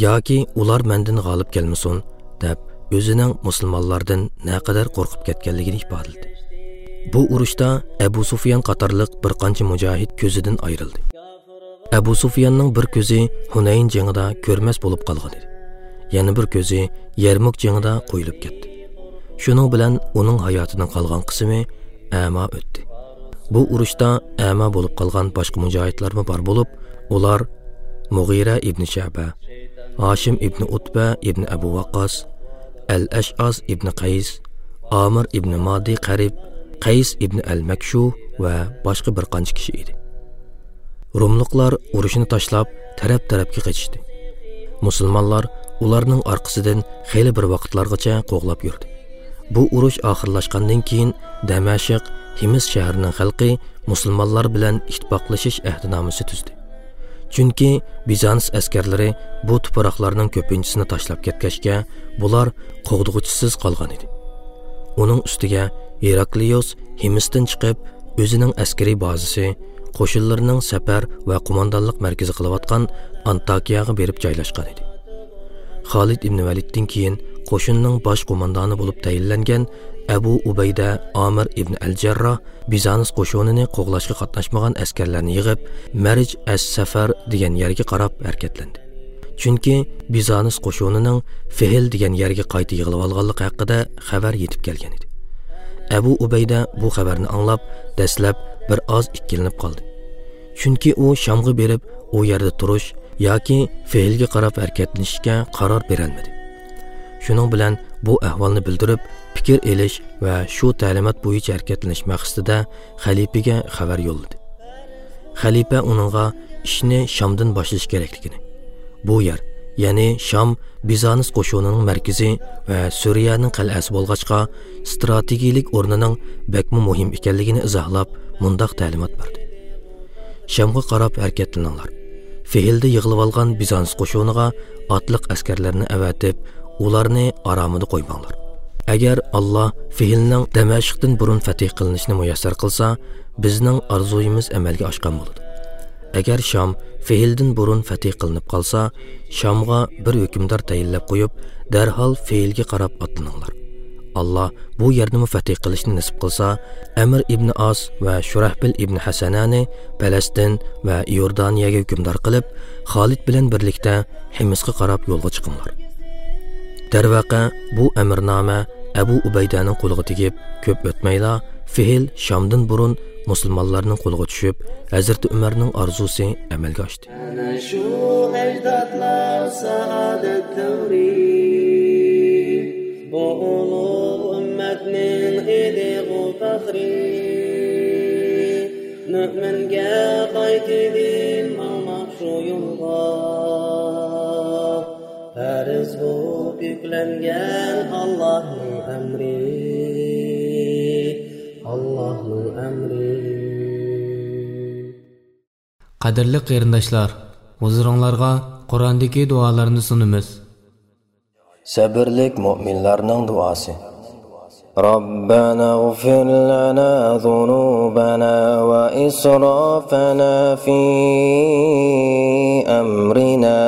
ياكى ئۇلار مەندىن غالىب كەلمىسۇن» دەپ، ئۆزىنىڭ مۇسۇلمانلاردىن نەقەدەر قورقۇپ كەتكەنلىكىنى ئىپادىلىدى. بۇ ئۇرۇشتا ئەبۇ سۇفيان قاتارلىق بىر قانچە مۇجاھىد كۆزىدىن ئايرىلدى. ئەبۇ سۇفياننىڭ بىر كۆزى ھۇنەين جېڭىدا كۆرمەس بولۇپ قالغان ئىدى. يەنە بىر كۆزى يەرمۇك جېڭىدا قويۇلۇپ كەتتى. شۇنىڭ بىلەن ئۇنىڭ ھاياتىنىڭ قالغان قىسمى ئەما ئۆتتى. بۇ ئۇرۇشتا ئەما بولۇپ قالغان باشقا مۇجاھىدلارمۇ بار بولۇپ، ئۇلار مۇغىرە ئىبنى شەبە، ھاشىم ئىبنى ئۇتبە ئىبنى ئەبۇ ۋەققاس، ئەل ئەشئاس ئىبنى قەيس، ئامىر ئىبنى مادى قەرىب، قەيس ئىبنى ئەل مەكشۇ ۋە باشقا بىر قانچە كىشى ئىدى. روملۇقلار ئۇرۇشنى تاشلاپ، تەرەپ-تەرەپكە قېچىشتى. مۇسۇلمانلار ئۇلارنىڭ ئارقىسىدىن خېلى بىر ۋاقىتلارغىچە قوغلاپ يۈردى. بۇ ئۇرۇش ئاخىرلاشقاندىن كېيىن، دەمەشق، ھىمس شەھىرىنىڭ خەلقى مۇسۇلمانلار بىلەن ئىتتىپاقلىشىش ئەھدىنامىسى تۈزدى. چۈنكى بىزانس ئەسكەرلىرى بۇ تۇپراقلارنىڭ كۆپىنچىسىنى تاشلاپ كەتكەچكە، بۇلار قوغدىغۇچىسىز قالغان ئىدى. ئۇنىڭ ئۈستىگە ھېراكلىيۇس ھىمستىن چىقىپ، ئۆزىنىڭ ئەسكىرىي بازىسى، قوشۇنلىرىنىڭ سەپەر ۋە قوماندانلىق مەركىزى قىلىۋاتقان ئانتاكىياغا بېرىپ جايلاشقان ئىدى. خالىد ئىبنى ۋەلىدتىن كېيىن قوشۇننىڭ باش قوماندانى بولۇپ تەيىنلەنگەن ئەبۇ ئۇبەيدە ئامىر ئىبنى ئەل جەرراھ بىزانس قوشۇنىنى قوغلاشقا قاتناشمىغان ئەسكەرلەرنى يىغىپ، مەرج ئەس سەفەر دېگەن يەرگە قاراپ ھەرىكەتلەندى. چۈنكى بىزانس قوشۇنىنىڭ فېھىل دېگەن يەرگە قايتا يىغىلىۋالغانلىقى ھەققىدە خەۋەر يېتىپ كەلگەن ئىدى. ئەبۇ ئۇبەيدە بۇ خەۋەرنى ئاڭلاپ، دەسلەپ بىر ئاز ئىككىلىنىپ قالدى. چۈنكى ئۇ شامغا بېرىپ، ئۇ يەردە تۇرۇش ياكى فېھىلگە قاراپ ھەرىكەتلىنىشكە قارار بېرەلمىدى. شۇنىڭ بىلەن بۇ ئەھۋالنى بىلدۈرۈپ، پىكىر ئېلىش ۋە شۇ تەلىمات بويىچە ھەرىكەتلىنىش مەقسىتىدە خەلىپىگە خەۋەر يوللىدى. خەلىپە ئۇنىڭغا ئىشنى شامدىن باشلىشى كېرەكلىكىنى، بۇ يەر، يەنى شام بىزانس قوشۇنىنىڭ مەركىزى ۋە سۈرىيەنىڭ قەلئەسى بولغاچقا، ئىستراتېگىيىلىك ئورنىنىڭ بەكمۇ مۇھىم ئىكەنلىكىنى ئىزاھلاپ، مۇنداق تەلىمات بەردى: شامغا قاراپ ھەرىكەتلىنىڭلار. فېھىلدە يىغىلىۋالغان بىزانس قوشۇنىغا ئاتلىق ئەسكەرلەرنى ئەۋەتىپ، ئۇلارنى ئارامىدا قويماڭلار. ئەگەر ئاللا فېھىلنىڭ دەمەشقتىن بۇرۇن فەتھ قىلىنىشىنى مۇيەسسەر قىلسا، بىزنىڭ ئارزۇيىمىز ئەمەلگە ئاشقان بولىدۇ. ئەگەر شام فېھىلدىن بۇرۇن فەتھ قىلىنىپ قالسا، شامغا بىر ھۆكۈمدار تەيىنلەپ قويۇپ، دەرھال فېھىلگە قاراپ ئاتلىنىڭلار. ئاللا بۇ يەرنىمۇ فەتھ قىلىشنى نېسىپ قىلسا، ئەمىر ئىبنى ئاس ۋە شۇرەھبىل ئىبنى ھەسەنەنى پەلەستىن ۋە ئىيوردانىيەگە ھۆكۈمدار قىلىپ، خالىد بىلەن بىرلىكتە ھىمسقا قاراپ يولغا چىقىڭلار. دەرۋەقە، بۇ ئەمىرنامە ئەبۇ ئۇبەيدەنىڭ قولىغا تېگىپ، كۆپ ئۆتمەيلا، فېھىل شامدىن بۇرۇن مۇسۇلمانلارنىڭ قولىغا چۈشۈپ، ھەزرىتى ئۆمەرنىڭ ئارزۇسى ئەمەلگە ئاشتى. ئەنە شۇ ئەجدادلار سائادەت دەۋرى، بۇ ئۇلۇغ ئۈممەتنىڭ ئىدىغۇ پەخرى. مۆمىنگە قايتىدىن ماڭماق شۇ يولغا، پەرز بولۇپ يۈكلەنگەن ئاللاھنىڭ ئەمرى، ئاللاھنىڭ ئەمرى. قەدىرلىك قېرىنداشلار، ھۇزۇرۇڭلارغا قۇراندىكى دۇئالارنى سۇنىمىز. سەبرلىك مۆمىنلەرنىڭ دۇئاسى. ربنا اغفر لنا ذنوبنا وإسرافنا في أمرنا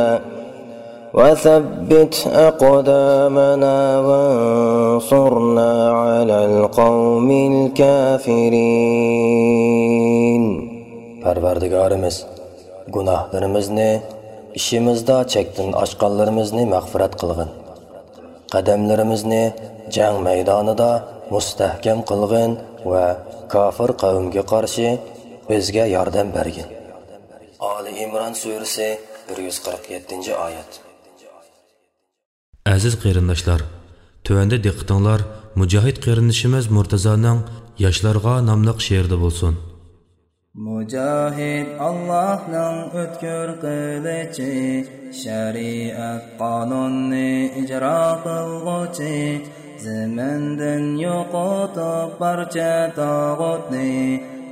وثبت أقدامنا وانصرنا على القوم الكافرين. پەرۋەردىگارىمىز، گۇناھلىرىمىزنى، ئىشىمىزدا چەكتىن ئاشقانلىرىمىزنى مەغپىرەت قىلغىن. قەدەملىرىمىزنى جەڭ مەيدانىدا مۇستەھكەم قىلغىن ۋە كاپىر قەۋمگە قارشى بىزگە ياردەم بەرگىن. ئالى ئىمران سۈرىسى، بىر يۈز قىرىق يەتتىنچى ئايەت. ئەزىز قېرىنداشلار، تۆۋەندە دىققىتىڭلار مۇجاھىد قېرىندىشىمىز مۇرتازانىڭ ياشلارغا ناملىق شېئىرىدا بولسۇن. مۇجاھىد ئاللاھنىڭ ئۆتكۈر قىلىچى، شەرىئەت قانۇننى ئىجرا قىلغۇچى، زېمىندىن يوقىتىپ بارچە تاغۇتنى،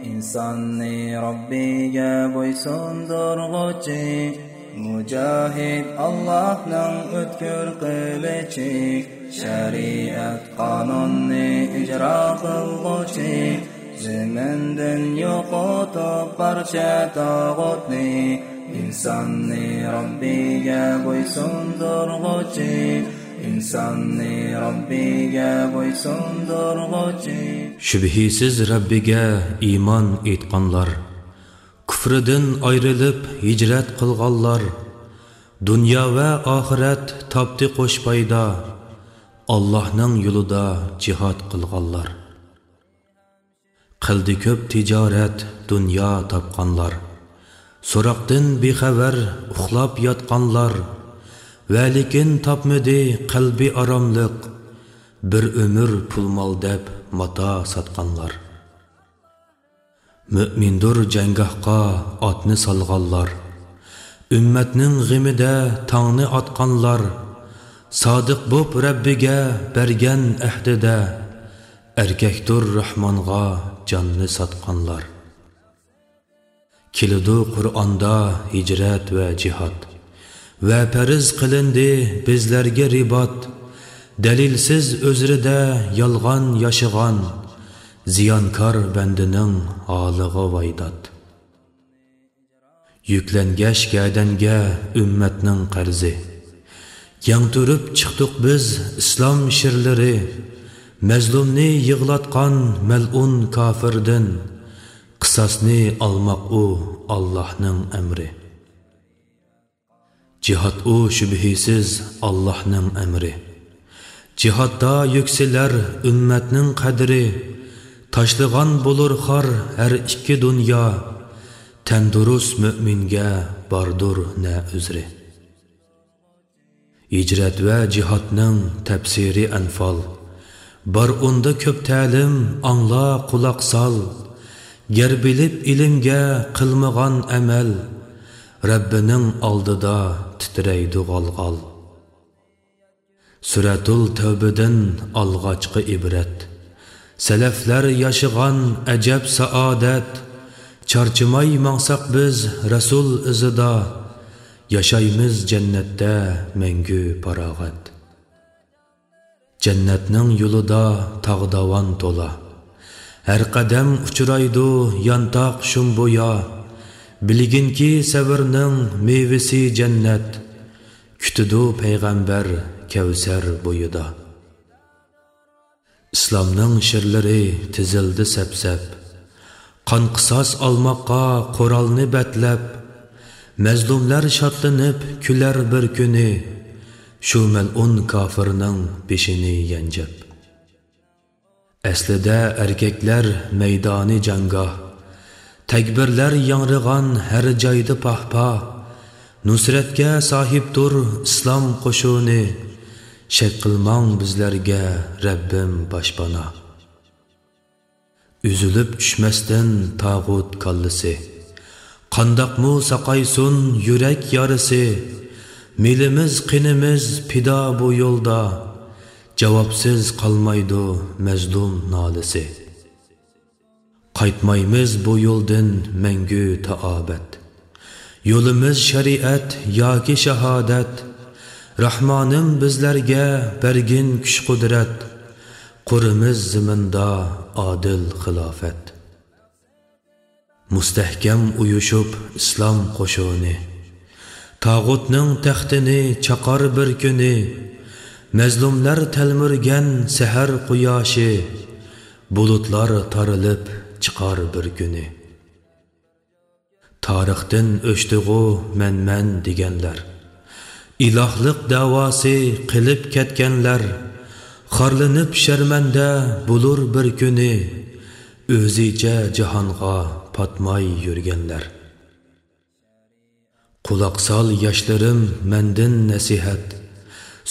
ئىنساننى رەببىگە بويسۇندۇرغۇچى. مۇجاھىد ئاللاھنىڭ ئۆتكۈر قىلىچى، شەرىئەت قانۇننى ئىجرا قىلغۇچى، زېمىندىن يوقىتىپ بارچە تاغۇتنى، ئىنساننى رەببىگە بويسۇندۇرغۇچى، ئىنساننى رەببىگە بويسۇندۇرغۇچى. شۈبھىسىز رەببىگە ئىمان ئېيتقانلار، كۇفرىدىن ئايرىلىپ ھىجرەت قىلغانلار، دۇنيا ۋە ئاخىرەت تاپتى قوش پايدا، ئاللاھنىڭ يولىدا جىھاد قىلغانلار. قىلدى كۆپ تىجارەت، دۇنيا تاپقانلار، سوراقتىن بىخەۋەر ئۇخلاپ ياتقانلار، ۋەلىكىن تاپمىدى قەلبى ئاراملىق، بىر ئۆمۈر پۇل-مال دەپ ماتا ساتقانلار. مۆمىندۇر جەڭگاھقا ئاتنى سالغانلار، ئۈممەتنىڭ غېمىدە تاڭنى ئاتقانلار، سادىق بوپ رەببىگە بەرگەن ئەھدىدە، ئەركەكتۇر راھمانغا جاننى ساتقانلار. كېلىدۇ قۇرئاندا ھىجرەت ۋە جىھاد، ۋە پەرز قىلىندى بىزلەرگە رىبات. دەلىلسىز ئۆزرىدە يالغان ياشىغان، زىيانكار بەندىنىڭ ھالىغا ۋايدات. يۈكلەنگەچ گەدەنگە ئۈممەتنىڭ قەرزى، يەڭ تۈرۈپ چىقتۇق بىز ئىسلام شىرلىرى، مەزلۇمنى يىغلاتقان مەلئۇن كاپىردىن، قىساسنى ئالماق ئۇ ئاللاھنىڭ ئەمرى. جىھاد ئۇ شۈبھىسىز ئاللاھنىڭ ئەمرى. جىھادتا يۈكسىلەر ئۈممەتنىڭ قەدرى، تاشلىغان بولۇر خار ھەر ئىككى دۇنيا، تەندۇرۇس مۆمىنگە باردۇر نە ئۆزرى. ھىجرەت ۋە جىھادنىڭ تەپسىرى ئەنفال. بار ئۇندا كۆپ تەلىم، ئاڭلا، قۇلاق سال. گەر بىلىپ ئىلىمگە قىلمىغان ئەمەل، رەببىنىڭ ئالدىدا تىترەيدۇ غال-غال. سۈرەتۇل تەۋبىدىن ئالغاچقا ئىبرەت. سەلەفلەر ياشىغان ئەجەب سائادەت. چارچىماي ماڭساق بىز رەسۇل ئىزىدا، ياشايمىز جەننەتتە مەڭگۈ پاراغەت. جەننەتنىڭ يولىدا تاغ-داۋان تولا، ھەر قەدەم ئۇچرايدۇ يانتاق شۇمبۇيا. بىلگىنكى سەۋرنىڭ مېۋىسى جەننەت، كۈتىدۇ پەيغەمبەر كەۋسەر بويىدا. ئىسلامنىڭ شىرلىرى تىزىلدى سەپسەپ، قان قىساس ئالماققا قورالنى بەتلەپ. مەزلۇملار شادلىنىپ كۈلەر بىر كۈنى، شۇ مەلئۇن كاپىرنىڭ بېشىنى يەنجەپ. ئەسلىدە ئەركەكلەر مەيدانى جەڭگاھ، تەكبىرلەر ياڭرىغان ھەر جايدا پاھ-پاھ. نۇسرەتكە ساھىبتۇر ئىسلام قوشۇنى، شەك قىلماڭ بىزلەرگە رەببىم باشپانا. ئۈزۈلۈپ چۈشمەستىن تاغۇت كاللىسى، قانداقمۇ ساقايسۇن يۈرەك يارىسى؟ مېلىمىز، قېنىمىز پىدا بۇ يولدا، جاۋابسىز قالمايدۇ مەزلۇم نالىسى. قايتمايمىز بۇ يولدىن مەڭگۈ تا ئابەد. يولىمىز شەرىئەت ياكى شاھادەت. راھمانىم بىزلەرگە بەرگىن كۈچ-قۇدرەت. قۇرىمىز زېمىندا ئادىل خىلاپەت. مۇستەھكەم ئۇيۇشۇپ ئىسلام قوشۇنى، تاغۇتنىڭ تەختىنى چاقار بىر كۈنى. مەزلۇملار تەلمۈرگەن سەھەر قۇياشى، بۇلۇتلار تارىلىپ چىقار بىر كۈنى. تارىختىن ئۆچتىغۇ مەن-مەن دېگەنلەر، ئىلاھلىق دەۋاسى قىلىپ كەتكەنلەر، خارلىنىپ شەرمەندە بولۇر بىر كۈنى، ئۆزىچە جاھانغا پاتماي يۈرگەنلەر. قۇلاق سال ياشلىرىم مەندىن نەسىھەت،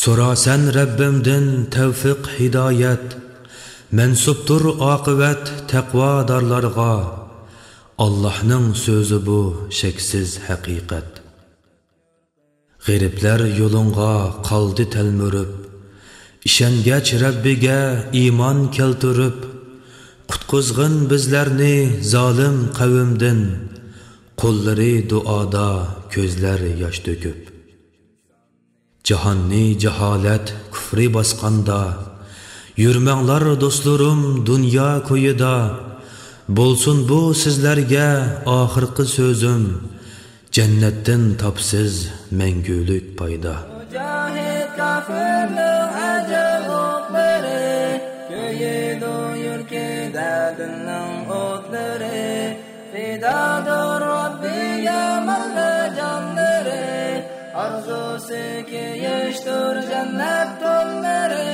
سورا سەن رەببىمدىن تەۋفىق ھىدايەت. مەنسۇپتۇر ئاقىۋەت تەقۋادارلارغا، ئاللاھنىڭ سۆزى بۇ شەكسىز ھەقىقەت. غېرىبلەر يولۇڭغا قالدى تەلمۈرۈپ، ئىشەنگەچ رەببىگە ئىمان كەلتۈرۈپ. قۇتقۇزغىن بىزلەرنى زالىم قەۋمدىن، قوللىرى دۇئادا، كۆزلەر ياش تۆكۈپ. جاھاننى جاھالەت، كۇفرى باسقاندا، يۈرمەڭلار دوستلىرىم دۇنيا كويىدا. بولسۇن بۇ سىزلەرگە ئاخىرقى سۆزۈم، جەننەتتىن تاپسىز مەڭگۈلۈك پايدا. مۇجاھىد كاپىرنىڭ ئەجەل ئوقلىرى، كۆيىدۇ يۈرىكىدە دىننىڭ ئوتلىرى. پىدادۇر رەببىگە مال ۋە جانلىرى، ئارزۇسى كېيىشتۇر جەننەت تونلىرى،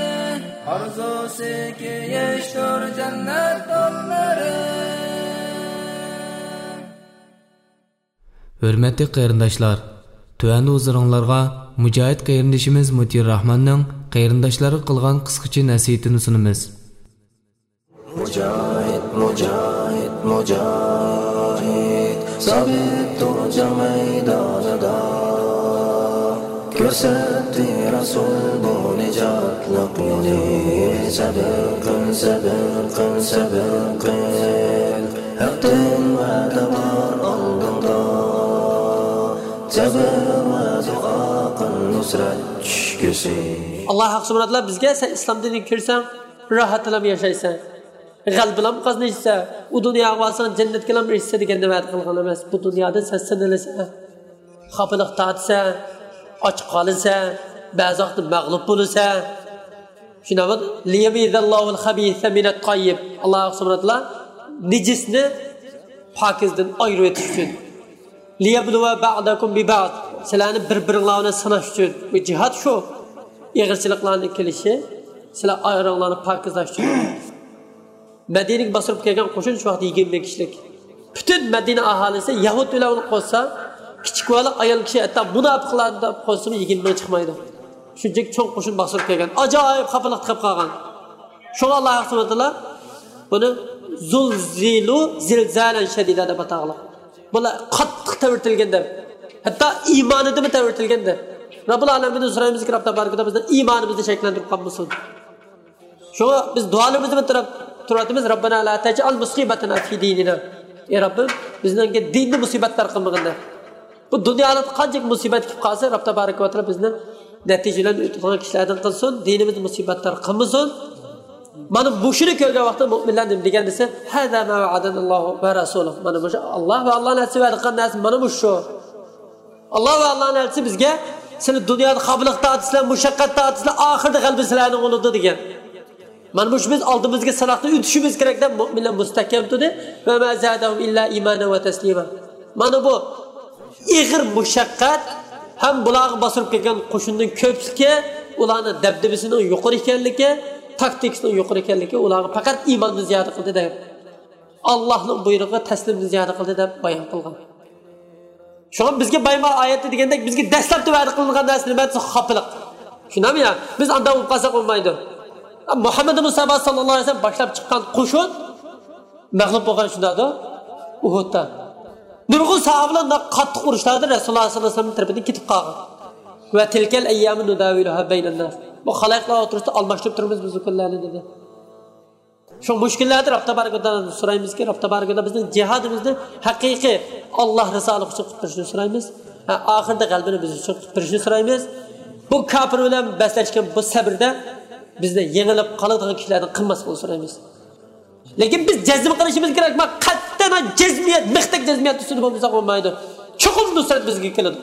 ئارزۇسى كېيىشتۇر جەننەت تونلىرى. ھۆرمەتلىك قېرىنداشلار، تۆۋەندە ھۇزۇرۇڭلارغا مۇجاھىد قېرىندىشىمىز مۇتىيۇر راھماننىڭ قېرىنداشلارغا قىلغان قىسقىچە نەسىھىتىنى سۇنىمىز. مۇجاھىد، مۇجاھىد، مۇجاھىد، سابىت تۇر جەڭ مەيدانىدا. كۆرسەتتى رەسۇل بۇ نىجاتلىق يولنى. سەبر قىل، سەبر قىل، سەبر قىل. ھەقتىن ۋەدە بار ئالدىڭدا. سەبر ۋە دۇئا قىل، نۇسرەت چۈشكۈسى. ئاللا ھەق سۇبھانەھۇ ۋە تائالا بىزگە، سەن ئىسلام دىنىنى كىرسەڭ، راھەت بىلەن ياشايسەن، غەلىبە بىلەن قازىنىسەن، ئۇ دۇنياغا بارساڭ، جەننەتكە بىلەن ئېرىشىسەن دېگەننى ۋەدە قىلغان ئەمەس. بۇ دۇنيادا سەن سىنىلىسەن، خاپىلىق تارتىسەن، ئاچ قالىسەن، بەزى ۋاقىتتا مەغلۇپ بولىسەن. شۇنداق، لىيەمىيزەللاھۇل خەبىسە مىنەت تاييىب. ئاللا سۇبھانەھۇ ۋە تائالا نىجىسنى پاكىزدىن ئايرىۋېتىش ئۈچۈن. لىيەبلۇۋە بەئدەكۇم بىبەئد. سىلەرنى بىر-بىرىڭلار بىلەن سىناش ئۈچۈن. بۇ جىھاد شۇ. ئېغىرچىلىقلارنىڭ كېلىشى، سىلەر ئايرىڭلارنى پاكىزلاش ئۈچۈن. مەدىنىگە باستۇرۇپ كەلگەن قوشۇن شۇ ۋاقىتتا يىگىرمە مىڭ كىشىلىك. پۈتۈن مەدىنە ئاھالىسى يەھۇد بىلەن قوشسا، كىچىك بالا، ئايال كىشى، ھەتتا مۇناپىقلارنى قوشسىمۇ يىگىرمە مىڭ چىقمايدۇ. شۇنچىلىك چوڭ قوشۇن باستۇرۇپ كەلگەن. ئاجايىپ خاپىلىقتا قېلىپ قالغان. شۇڭا ئاللا سۇبھانەھۇ ۋە تائالا بۇنى زۇلزىلۇ زىلزالەن شەدىدە دەپ ئاتاغلىق. بۇلار قاتتىق تەۋرىتىلگەن دەپ، ھەتتا ئىمانىدىمۇ تەۋرىتىلگەن دەپ. رەببۇل ئالەمىندىن سورايمىزكى، رەب تەبارەك ۋە تائالا بىزنىڭ ئىمانىمىزنى شەكىللەندۈرۈپ قالمىسۇن. شۇڭا بىز دۇئالىرىمىزنى بىلدۈرۈپ تۇرۇۋاتىمىز، رەببەنا لا تەجئەل مۇسىبەتەنا فى دىنىنا. ئەي رەببىم، بىزنىڭكى دىننى مۇسىبەتلەر قىلمىغىن دەپ. بۇ دۇنيادا قانچىلىك مۇسىبەت كېلىپ قالسا، رەب تەبارەك ۋە تائالا بىزنى نەتىجە بىلەن ئۆتىدىغان كىشىلەردىن قىلسۇن، دىنىمىزنى مۇسىبەتلەر قىلمىسۇن. مانا مۇشۇنى كۆرگەن ۋاقىتتا مۇئمىنلار نېمە دېگەن دېسە، ھازا ما ۋەئەدەنەللاھۇ ۋە رەسۇلۇھ. مانا مۇشۇ ئاللا ۋە ئاللا ئەلچىسى ۋەدە قىلغان نەرسە مانا مۇشۇ. ئاللا ۋە ئاللانىڭ ئەلچىسى بىزگە، سىلەر دۇنيادا خاپىلىق تارتىسىلەر، مۇشەققەت تارتىسىلەر، ئاخىرىدا غەلىبە سىلەرنىڭ بولىدۇ دېگەن. مانا مۇشۇ بىز ئالدىمىزدىكى سىناقتىن ئۆتۈشىمىز كېرەك دەپ مۇئمىنلار مۇستەھكەم تۇردى. ۋە ما زادەھۇم ئىللا ئىمانەن ۋە تەسلىما. مانا بۇ ئېغىر مۇشەققەت ھەم بۇلارغا باستۇرۇپ كەلگەن قوشۇننىڭ كۆپلۈكى ئۇلارنىڭ دەبدىبىسىنىڭ يۇقىرى ئىكەنلىكى، تاكتىكىسىنىڭ يۇقىرى ئىكەنلىكى ئۇلارغا پەقەت ئىماننى زىيادە قىلدى دەپ، ئاللانىڭ بۇيرۇقىغا تەسلىمنى زىيادە قىلدى دەپ بايان قىلغان. شۇڭا بىزگە بايما ئايەتتە دېگەندەك، بىزگە دەسلەپتە ۋەدە قىلىنغان نەرسە نېمە دېسە، خاپىلىق. شۇنداقمۇ يا؟ بىز ئانداق بولۇپ قالساق بولمايدۇ. مۇھەممەد مۇستەپا ساللاللاھۇ ئەلەيھى ۋەسەللەم باشلاپ چىققان قوشۇن مەغلۇپ بولغان شۇنداقتۇ ئۇھۇدتا. نۇرغۇن ساھابىلەر قاتتىق ئۇرۇشلاردا رەسۇلۇللاھ ساللاللاھۇ ئەلەيھى ۋەسەللەم تەرىپىدىن كېتىپ قالغان. ۋە تىلكەل ئەييامۇ نۇداۋىلۇھا بەينەنناس. بۇ خەلقلەر ئوتتۇرىسىدا ئالماشتۇرۇپ تۇرىمىز بىز بۇ كۈنلەرنى دېدى. شۇ مۇشكىللەردە رەب تەبارەك ۋە تائالادىن سورايمىزكى، رەب تەبارەك ۋە تائالا بىزنىڭ جىھادىمىزنى ھەقىقىي ئاللا رىزالىقى ئۈچۈن قىلىپ بېرىشىنى سورايمىز. ھە، ئاخىرىدا غەلىبىنى بىز ئۈچۈن قىلىپ بېرىشىنى سورايمىز. بۇ كاپىر بىلەن بەسلەشكەن بۇ سەبردە بىزنى يېڭىلىپ قالىدىغان كىشىلەردىن قىلماسلىقىنى سورايمىز. لېكىن بىز جەزم قىلىشىمىز كېرەك، ما قەتئىي جەزمىيەت، مىختەك جەزمىيەت ئۈستىدە بولمىساق بولمايدۇ. چوقۇم نۇسرەت بىزگە كېلىدۇ.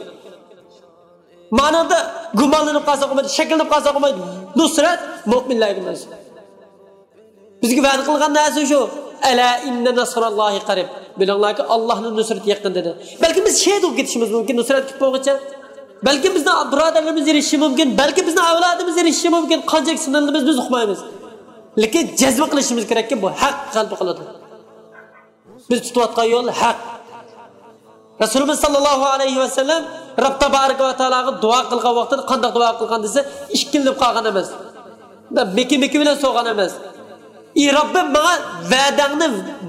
مانىڭدا گۇمانلىنىپ قالساق بولمايدۇ، شەكلىنىپ قالساق بولمايدۇ. نۇسرەت مۆمىنلەرگە مەنسۇپ. بىزگە ۋەدە قىلغان نەرسە شۇ. ئەلا ئىننە نەسراللاھى قەرىب. بىلىڭلاركى، ئاللانىڭ نۇسرىتى يېقىن دېدى. بەلكىم بىز شېھىت بولۇپ كېتىشىمىز مۇمكىن، نۇسرەت كېلىپ بولغۇچە. بەلكىم بىزنىڭ بۇرادەرلىرىمىز ئېرىشىشى مۇمكىن، بەلكىم بىزنىڭ ئەۋلادىمىز ئېرىشىشى مۇمكىن. قانچىلىك سىنىلىمىز بىز ئۇقمايمىز. لېكىن جەزم قىلىشىمىز كېرەككى، بۇ ھەق غەلىبە قىلىدۇ. بىز تۇتۇۋاتقان يول ھەق. رەسۇلىمىز ساللاللاھۇ ئەلەيھى ۋەسەللەم رەب تەبارەك ۋە تائالاغا دۇئا قىلغان ۋاقتىدا قانداق دۇئا قىلغان دېسە، ئىككىلىنىپ قالغان ئەمەس. مىكى مىكى بىلەن سورىغان ئەمەس. ئى رەببىم، ماڭا ۋەدەڭنى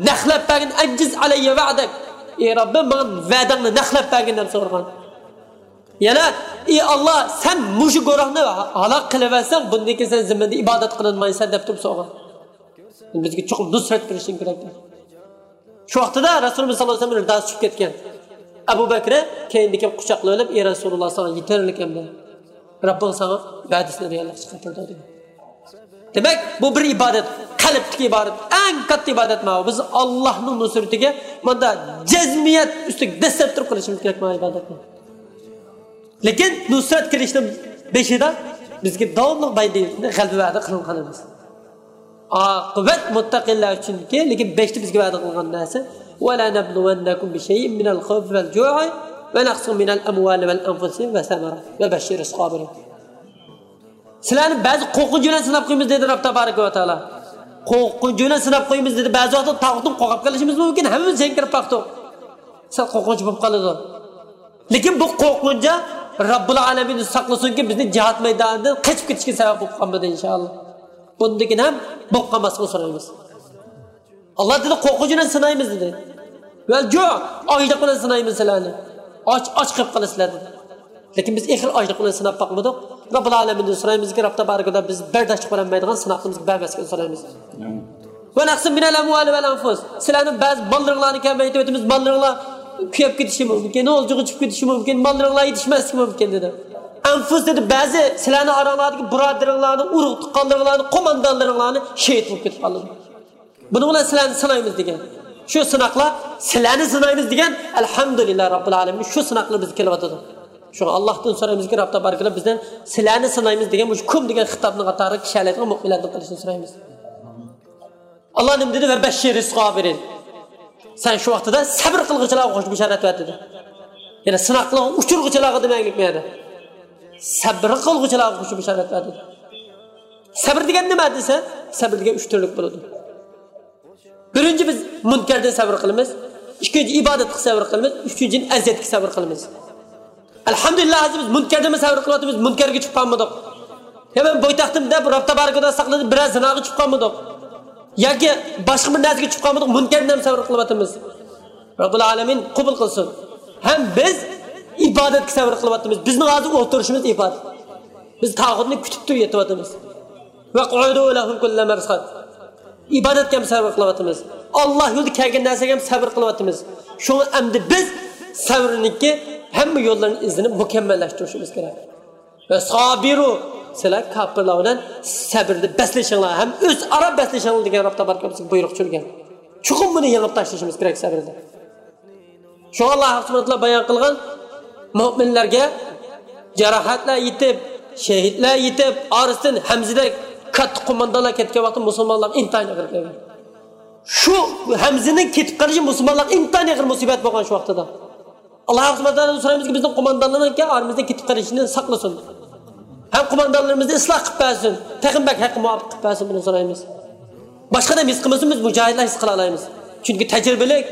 نەقلەپ بەرگىن، ئەنجىز ئەلەييە ۋەدەك. ئى رەببىم، ماڭا ۋەدەڭنى نەقلەپ بەرگىن دەپ سورىغان. يەنە، ئى ئاللا، سەن مۇشۇ گۇرۇھنى ھالاك قىلىۋەرسەڭ، بۇندىن كېيىن سەن زېمىندا ئىبادەت قىلىنمايسەن دەپ تۇرۇپ سورىغان. بىزگە چوقۇم نۇسرەت بېرىشىڭ كېرەك. شۇ ۋاقتىدا رەسۇلىمىز ساللاللاھۇ ئەلەيھى ۋەسەللەم رىداسى چۈشۈپ كەتكەن. ئەبۇ بەكرى كەينىدىكى قۇچاقلاپ ئېلىپ، ئى رەسۇلۇللاھ، ساڭا يېتەرلىك ئەمدى. رەببىڭ ساڭا ۋەدىسىنى رېئاللىققا چىقىرىپ بەردى. دېمەك، بۇ بىر ئىبادەت، قەلبتىكى ئىبادەت، ئەڭ كاتتا ئىبادەت ماۋۇ. بىز ئاللانىڭ نۇسرىتىگە ماندا جەزمىيەت ئۈستىگە دەسسەپ تۇرۇپ قىلىشىمىز كېرەك ماۋۇ ئىبادەتنى. لېكىن نۇسرەت كېلىشنىڭ بېشىدا بىزگە داۋاملىق بايىندا غەلىبە ۋەدە قىلىنغان ئەمەس. ئاقىۋەت مۇتتەقىلەر ئۈچۈنكى، لېكىن بەشتە بىزگە ۋەدە قىلغان نەرسە، ۋەلەنەبلۇۋەننەكۇم بىشەيئىن مىنەل خەۋفى ۋەل جۇئى ۋە نەقسىن مىنەل ئەمۋالى ۋەل ئەنفۇسى ۋەسەمەرات ۋەبەششىرىس سابىرىن. سىلەرنى بەزى قورقۇنچ بىلەن سىناپ قويىمىز دېدى رەب تەبارەك ۋە تائالا. قورقۇنچ بىلەن سىناپ قويىمىز دېدى. بەزى ۋاقىتتا تاغۇتتىن قورقۇپ قېلىشىمىز مۇمكىن، ھەممىمىز جەڭگىرىپ باقتۇق. سەل قورقۇنچ بولۇپ قالىدۇ. لېكىن بۇ قورقۇنچ رەببۇل ئالەمىن ساقلىسۇنكى، بىزنى جىھاد مەيدانىدىن قېچىپ كېتىشكە سەۋەب بولۇپ قالمىدى، ئىنشائاللا. بۇندىن كېيىن ھەم بولۇپ قالماسلىقىنى سورايمىز. ئاللا دېدى، قورقۇنچ بىلەن سىنايمىز دېدى. ۋەل جۇ، ئاچلىق بىلەن سىنايمىز سىلەرنى. ئاچ، ئاچ قېلىپ قالىسىلەر دېدى. لېكىن بىز ئېخىر ئاچلىق بىلەن سىناپ باقمىدۇق. رەببۇل ئالەمىندىن سورايمىزكى، رەب تەبارەكەللا بىز بەرداشلىق بېرەلمەيدىغان سىناقلىرىمىزغا بەرمەسلىكىنى سورايمىز. ۋە نەقسىن مىنەل ئەمۋالى ۋەل ئەنفۇس. سىلەرنىڭ بەزى ماللىرىڭلارنى كەمەيتىۋېتىمىز، ماللىرىڭلار كۆپىيىپ كېتىشى مۇمكىن، ئولجىغا چۈشۈپ كېتىشى مۇمكىن، ماللىرىڭلار يېتىشمەسلىكى مۇمكىن دېدى. ئەنفۇس دېدى، بەزى سىلەرنىڭ ئاراڭلاردىكى بۇرادىرىڭلارنى، ئۇرۇق تۇغقانلىرىڭلارنى، قوماندانلىرىڭلارنى شېھىت بولۇپ كېتىپ قالىدۇ. بۇنىڭ بىلەن سىلەرنى سىنايمىز دېگەن. شۇ سىناقلار سىلەرنى سىنايمىز دېگەن، ئەلھەمدۇلىللا رەببىل ئالەمىن، شۇ سىناقلار بىزگە كېلىۋاتىدۇ. شۇڭا ئاللاھتىن سورايمىزكى، رەب تەبارەكەللا بىزدىن سىلەرنى سىنايمىز دېگەن مۇشۇ كۇم دېگەن خىتابنىڭ قاتارىغا كىرەلەيدىغان مۆمىنلەردىن قىلىشنى سورايمىز. ئاللا نېمە دېدى؟ ۋە بەششىرىس سابىرىن. سەن شۇ ۋاقتىدا سەبر قىلغۇچىلارغا خۇش بېشارەت بەر دېدى. يەنى سىناقلارغا ئۇچرىغۇچىلارغا دېمەكلىك بۇ يەردە. سەبر قىلغۇچىلارغا خۇش بېشارەت بەر دېدى. سەبر دېگەن نېمە دېسە، سەبر دېگەن ئۈچ تۈرلۈك بولىدۇ. بىرىنچى، بىز مۇنكەردىن سەۋر قىلىمىز. ئىككىنچى، ئىبادەتكە سەۋر قىلىمىز. ئۈچىنچى، ئەزىيەتكە سەۋر قىلىمىز. ئەلھەمدۇلىللا، ھازىر بىز مۇنكەردىنمۇ سەۋر قىلىۋاتىمىز، مۇنكەرگە چۈشۈپ قالمىدۇق. يا مەن بويتاقتىم دەپ رەب تەبارەكەدا ساقلىدى، بىرەر زىناغا چۈشۈپ قالمىدۇق. ياكى باشقا بىر نەرسىگە چۈشۈپ قالمىدۇق، مۇنكەردىن ھەم سەۋر قىلىۋاتىمىز. رەببۇل ئالەمىن قوبۇل قىلسۇن. ھەم بىز ئىبادەتكە سەۋر قىلىۋاتىمىز. بىزنىڭ ھازىر ئولتۇرۇشىمىز ئىبادەت. بىز تاغۇتنى كۈتۈپ تۇرۇپ يېتىۋاتىمىز. ۋەقئۇدۇ لەھۇم كۇللە مەرساد. ئىبادەتكە ھەم سەۋر قىلىۋاتىمىز. ئاللا يولىدا كەلگەن نەرسىگە ھەم سەۋر قىلىۋاتىمىز. شۇڭا ئەمدى بىز سەۋرنىڭكى ھەممە يوللىرىنى ئىزدىنىپ مۇكەممەللەشتۈرۈشىمىز كېرەك. ۋە سابىرۇ، سىلەر كاپىرلار بىلەن سەبرىدە بەسلىشىڭلار ھەم ئۆزئارا بەسلىشىڭلار دېگەن رەب تەبارەكەللا بىزگە بۇيرۇق چۈشۈرگەن. چوقۇم بۇنى يېڭىپ تاشلىشىمىز كېرەك سەبرىدە. شۇڭا ئاللا سۇبھانەھۇ ۋە تائالا بايان قىلغان، مۆمىنلەرگە جاراھەتلەر يېتىپ، شېھىتلەر يېتىپ، ئارىسىدىن ھەمزىدەك كاتتا قوماندانلار كەتكەن ۋاقىتتا مۇسۇلمانلارغا ئىنتايىن ئېغىر كەلگەن. شۇ ھەمزىنىڭ كېتىپ قېلىشى مۇسۇلمانلارغا ئىنتايىن ئېغىر مۇسىبەت بولغان شۇ ۋاقتىدا. ئاللا سۇبھانەھۇ ۋە تائالادىن سورايمىزكى، بىزنىڭ قوماندانلىرىمىزنىڭكى ئارىمىزدىن كېتىپ قېلىشىنى ساقلىسۇن. ھەم قوماندانلىرىمىزنى ئىسلاھ قىلىپ بەرسۇن. تېخىمۇ بەك ھەققە مۇۋاپىق قىلىپ بەرسۇن، بۇنى سورايمىز. باشقا ئادەم ھېس قىلمىسۇن، بىز مۇجاھىدلار ھېس قىلالايمىز. چۈنكى تەجرىبىلىك،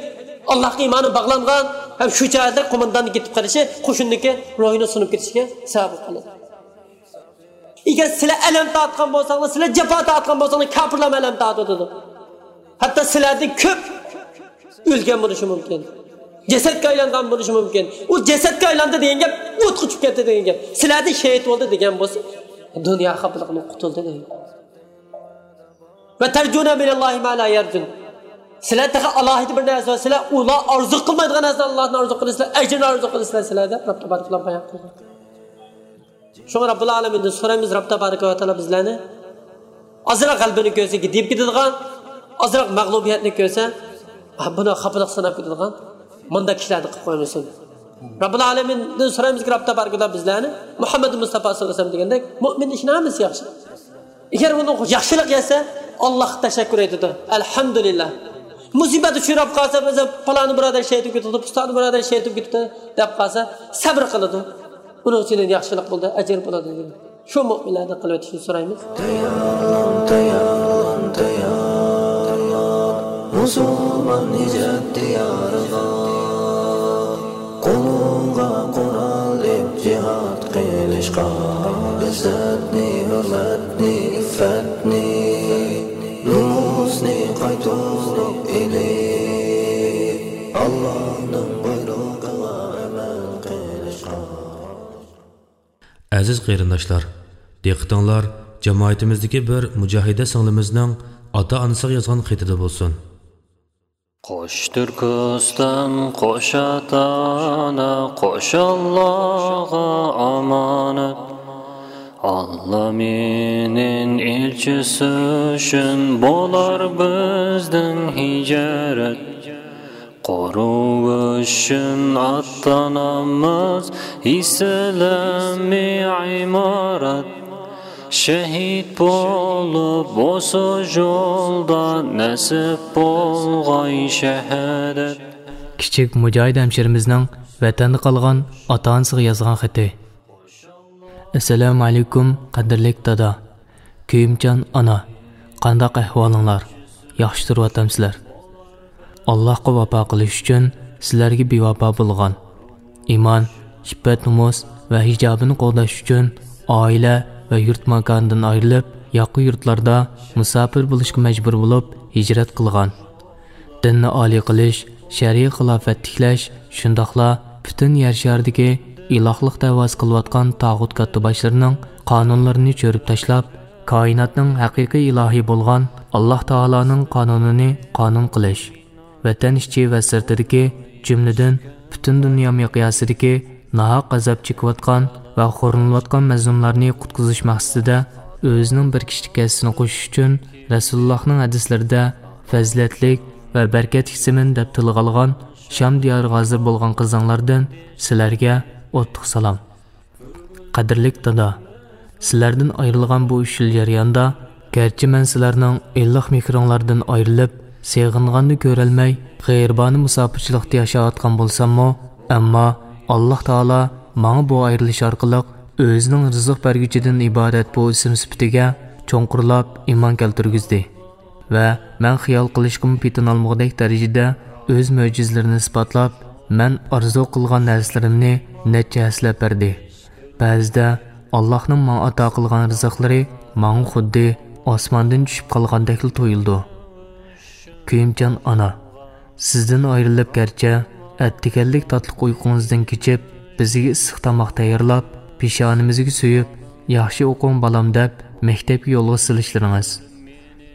ئاللاھقا ئىمانى باغلانغان ھەم شۇ جاھىدلار قومانداننىڭ كېتىپ قېلىشى قوشۇننىڭكى روھىنىڭ سۇنۇپ كېتىشىگە سەۋەب بولۇپ قالىدۇ. ئەگەر سىلەر ئەلەم تارتقان بولساڭلار، سىلەر جاپا تارتقان بولساڭلار، كاپىرلارمۇ ئەلەم تارتىۋاتىدۇ. ھەتتا سىلەردىن كۆپ ئۆلگەن بولۇشى مۇمكىن. جەسەتكە ئايلانغان بولۇشى مۇمكىن. ئۇ جەسەتكە ئايلاندى دېگەن گەپ، ئوتقا چۈشۈپ كەتتى دېگەن گەپ. سىلەردىن شېھىت بولدى دېگەن بولسا، دۇنيا خاپىلىقىدىن قۇتۇلدى دېگەن. ۋە تەرجۇنە مىنەللاھى ما لا يەرجۇن. سىلەر تېخى ئالاھىدە بىر نەرسە، سىلەر ئۇلار ئارزۇ قىلمايدىغان نەرسىنى ئاللاھتىن ئارزۇ قىلىسىلەر، ئەجرىنى ئارزۇ قىلىسىلەر سىلەر دەپ رەب تەبارەكەللا بايان قىلغان. شۇڭا رەببۇل ئالەمىندىن سورايمىز، رەب تەبارەكە ۋە تائالا بىزلەرنى ئازراق غەلىبىنى كۆرسە گىدىيىپ كېتىدىغان، ئازراق مەغلۇبىيەتنى كۆرسە، ھە، بۇنى خاپىلىق ساناپ كېتىدىغان مۇنداق كىشىلەردىن قىلىپ قويمىسۇن. رەببۇل ئالەمىندىن سورايمىزكى، رەب تەبارەكە ۋە تائالا بىزلەرنى مۇھەممەد مۇستەپا سەللەللاھۇ ئەلەيھى ۋەسەللەم دېگەندەك مۆمىن ئىشنىڭ ھەممىسى ياخشى. ئەگەر ئۇنىڭ ياخشىلىق يەتسە، ئاللاھقا تەشەككۈر ئېيتىدۇ. ئەلھەمدۇلىللا. مۇسىبەت ئۇچراپ قالسا، مەسىلەن، پالانى بۇرادەر شېھىت بولۇپ كېتىپتۇ، پۇستانى بۇرادەر شېھىت بولۇپ كېتىپتۇ دەپ قالسا، سەۋر قىلىدۇ. ئۇنىڭ ئۈچۈن ياخشىلىق بولدى، ئەجىر بولىدۇ دېگەن. شۇ مۆمىنلەردىن قىلىۋېتىشنى سورايمىز. تەييارلان، تەييارلان، تەييارلان. مۇسۇلمان ھىجرەت دىيارىغا، قولۇڭغا قورال ئېلىپ جىھاد قىلىشقا، ئىززەتنى، ھۆرمەتنى، ئىففەتنى، نومۇسنى قايتۇرۇپ ئېلىپ، ئاللانىڭ بۇيرۇقىغا ئەمەل قىلىشقا. ئەزىز قېرىنداشلار، دىققىتىڭلار جامائىتىمىزدىكى بىر مۇجاھىدە سىڭلىمىزنىڭ ئاتا-ئانىسىغا يازغان خېتىدە بولسۇن. قوش تۈركىستان، قوش ئاتا-ئانا، قوش ئاللاغا ئامانەت. ئاللا مېنىڭ ئېلچىسى ئۈچۈن بولار بىزدىن ھىجرەت. قورۇش ئۈچۈن ئاتلانامىز ئىسلامىي ئىمارەت. شېھىت بولۇپ بولسا يولدا نەسىپ بولغاي شاھادەت. كىچىك مۇجاھىد ھەمشىرىمىزنىڭ ۋەتەندە قالغان ئاتا-ئانىسىغا يازغان خېتى. ئەسسالامۇ ئەلەيكۇم، قەدىرلىك دادا، كۆيۈمچان ئانا، قانداق ئەھۋالىڭلار؟ ياخشى تۇرۇۋاتامسىلەر؟ ئاللاھقا ۋاپا قىلىش ئۈچۈن سىلەرگە بىۋاپا بولغان، ئىمان، ئىپپەت-نومۇس ۋە ھىجابىنى قوغداش ئۈچۈن ئائىلە ۋە يۇرت ماكانىدىن ئايرىلىپ، ياقا يۇرتلاردا مۇساپىر بولۇشقا مەجبۇر بولۇپ ھىجرەت قىلغان. دىننى ئالىي قىلىش، شەرئىي خىلاپەت تىكلەش، شۇنداقلا پۈتۈن يەر شارىدىكى ئىلاھلىق دەۋاسى قىلىۋاتقان تاغۇت كاتتىباشلىرىنىڭ قانۇنلىرىنى چۆرۈپ تاشلاپ، كائىناتنىڭ ھەقىقىي ئىلاھى بولغان ئاللاھ تائالانىڭ قانۇنىنى قانۇن قىلىش، ۋەتەن ئىچى ۋە سىرتىدىكى، جۈملىدىن پۈتۈن دۇنيا مىقياسىدىكى ناھەق ئازاب چېكىۋاتقان ۋە خورلىنىۋاتقان مەزلۇملارنى قۇتقۇزۇش مەقسىتىدە ئۆزىنىڭ بىر كىشىلىك ھەسسىسىنى قوشۇش ئۈچۈن، رەسۇلۇللاھنىڭ ھەدىسلىرىدە فەزىلەتلىك ۋە بەرىكەتلىك زېمىن دەپ تىلغا ئالغان شام دىيارىغا ھازىر بولغان قىزىڭلاردىن سىلەرگە ئوتلۇق سالام. قەدىرلىك دادا، سىلەردىن ئايرىلغان بۇ ئۈچ يىل جەريانىدا، گەرچە مەن سىلەرنىڭ ئىللىق مېھرىڭلاردىن ئايرىلىپ، سېغىنغاننى كۆرەلمەي، غېرىبانە مۇساپىرچىلىقتا ياشاۋاتقان بولساممۇ، ئەمما ئاللاھ تائالا ماڭا بۇ ئايرىلىش ئارقىلىق ئۆزىنىڭ رىزىق بەرگۈچىدىن ئىبارەت بۇ ئىسىم سۈپىتىگە چوڭقۇرلاپ ئىمان كەلتۈرگۈزدى. ۋە مەن خىيال قىلىشقىمۇ پېتىنالمىغۇدەك دەرىجىدە ئۆز مۆجىزىلىرىنى ئىسپاتلاپ، مەن ئارزۇ قىلغان نەرسىلىرىمنى نەچچە ھەسسىلەپ بەردى. بەزىدە ئاللاھنىڭ ماڭا ئاتا قىلغان رىزىقلىرى ماڭا خۇددى ئاسماندىن چۈشۈپ قالغاندەكلا تۇيۇلىدۇ. كۆيۈمچان ئانا، سىزدىن ئايرىلىپ گەرچە ئەتىگەنلىك تاتلىق ئۇيقۇڭىزدىن كېچىپ، بىزگە ئىسسىق تاماق تەييارلاپ، پېشانىمىزگە سۆيۈپ، ياخشى ئوقۇڭ بالام دەپ مەكتەپكە يولغا سېلىشلىرىڭىز،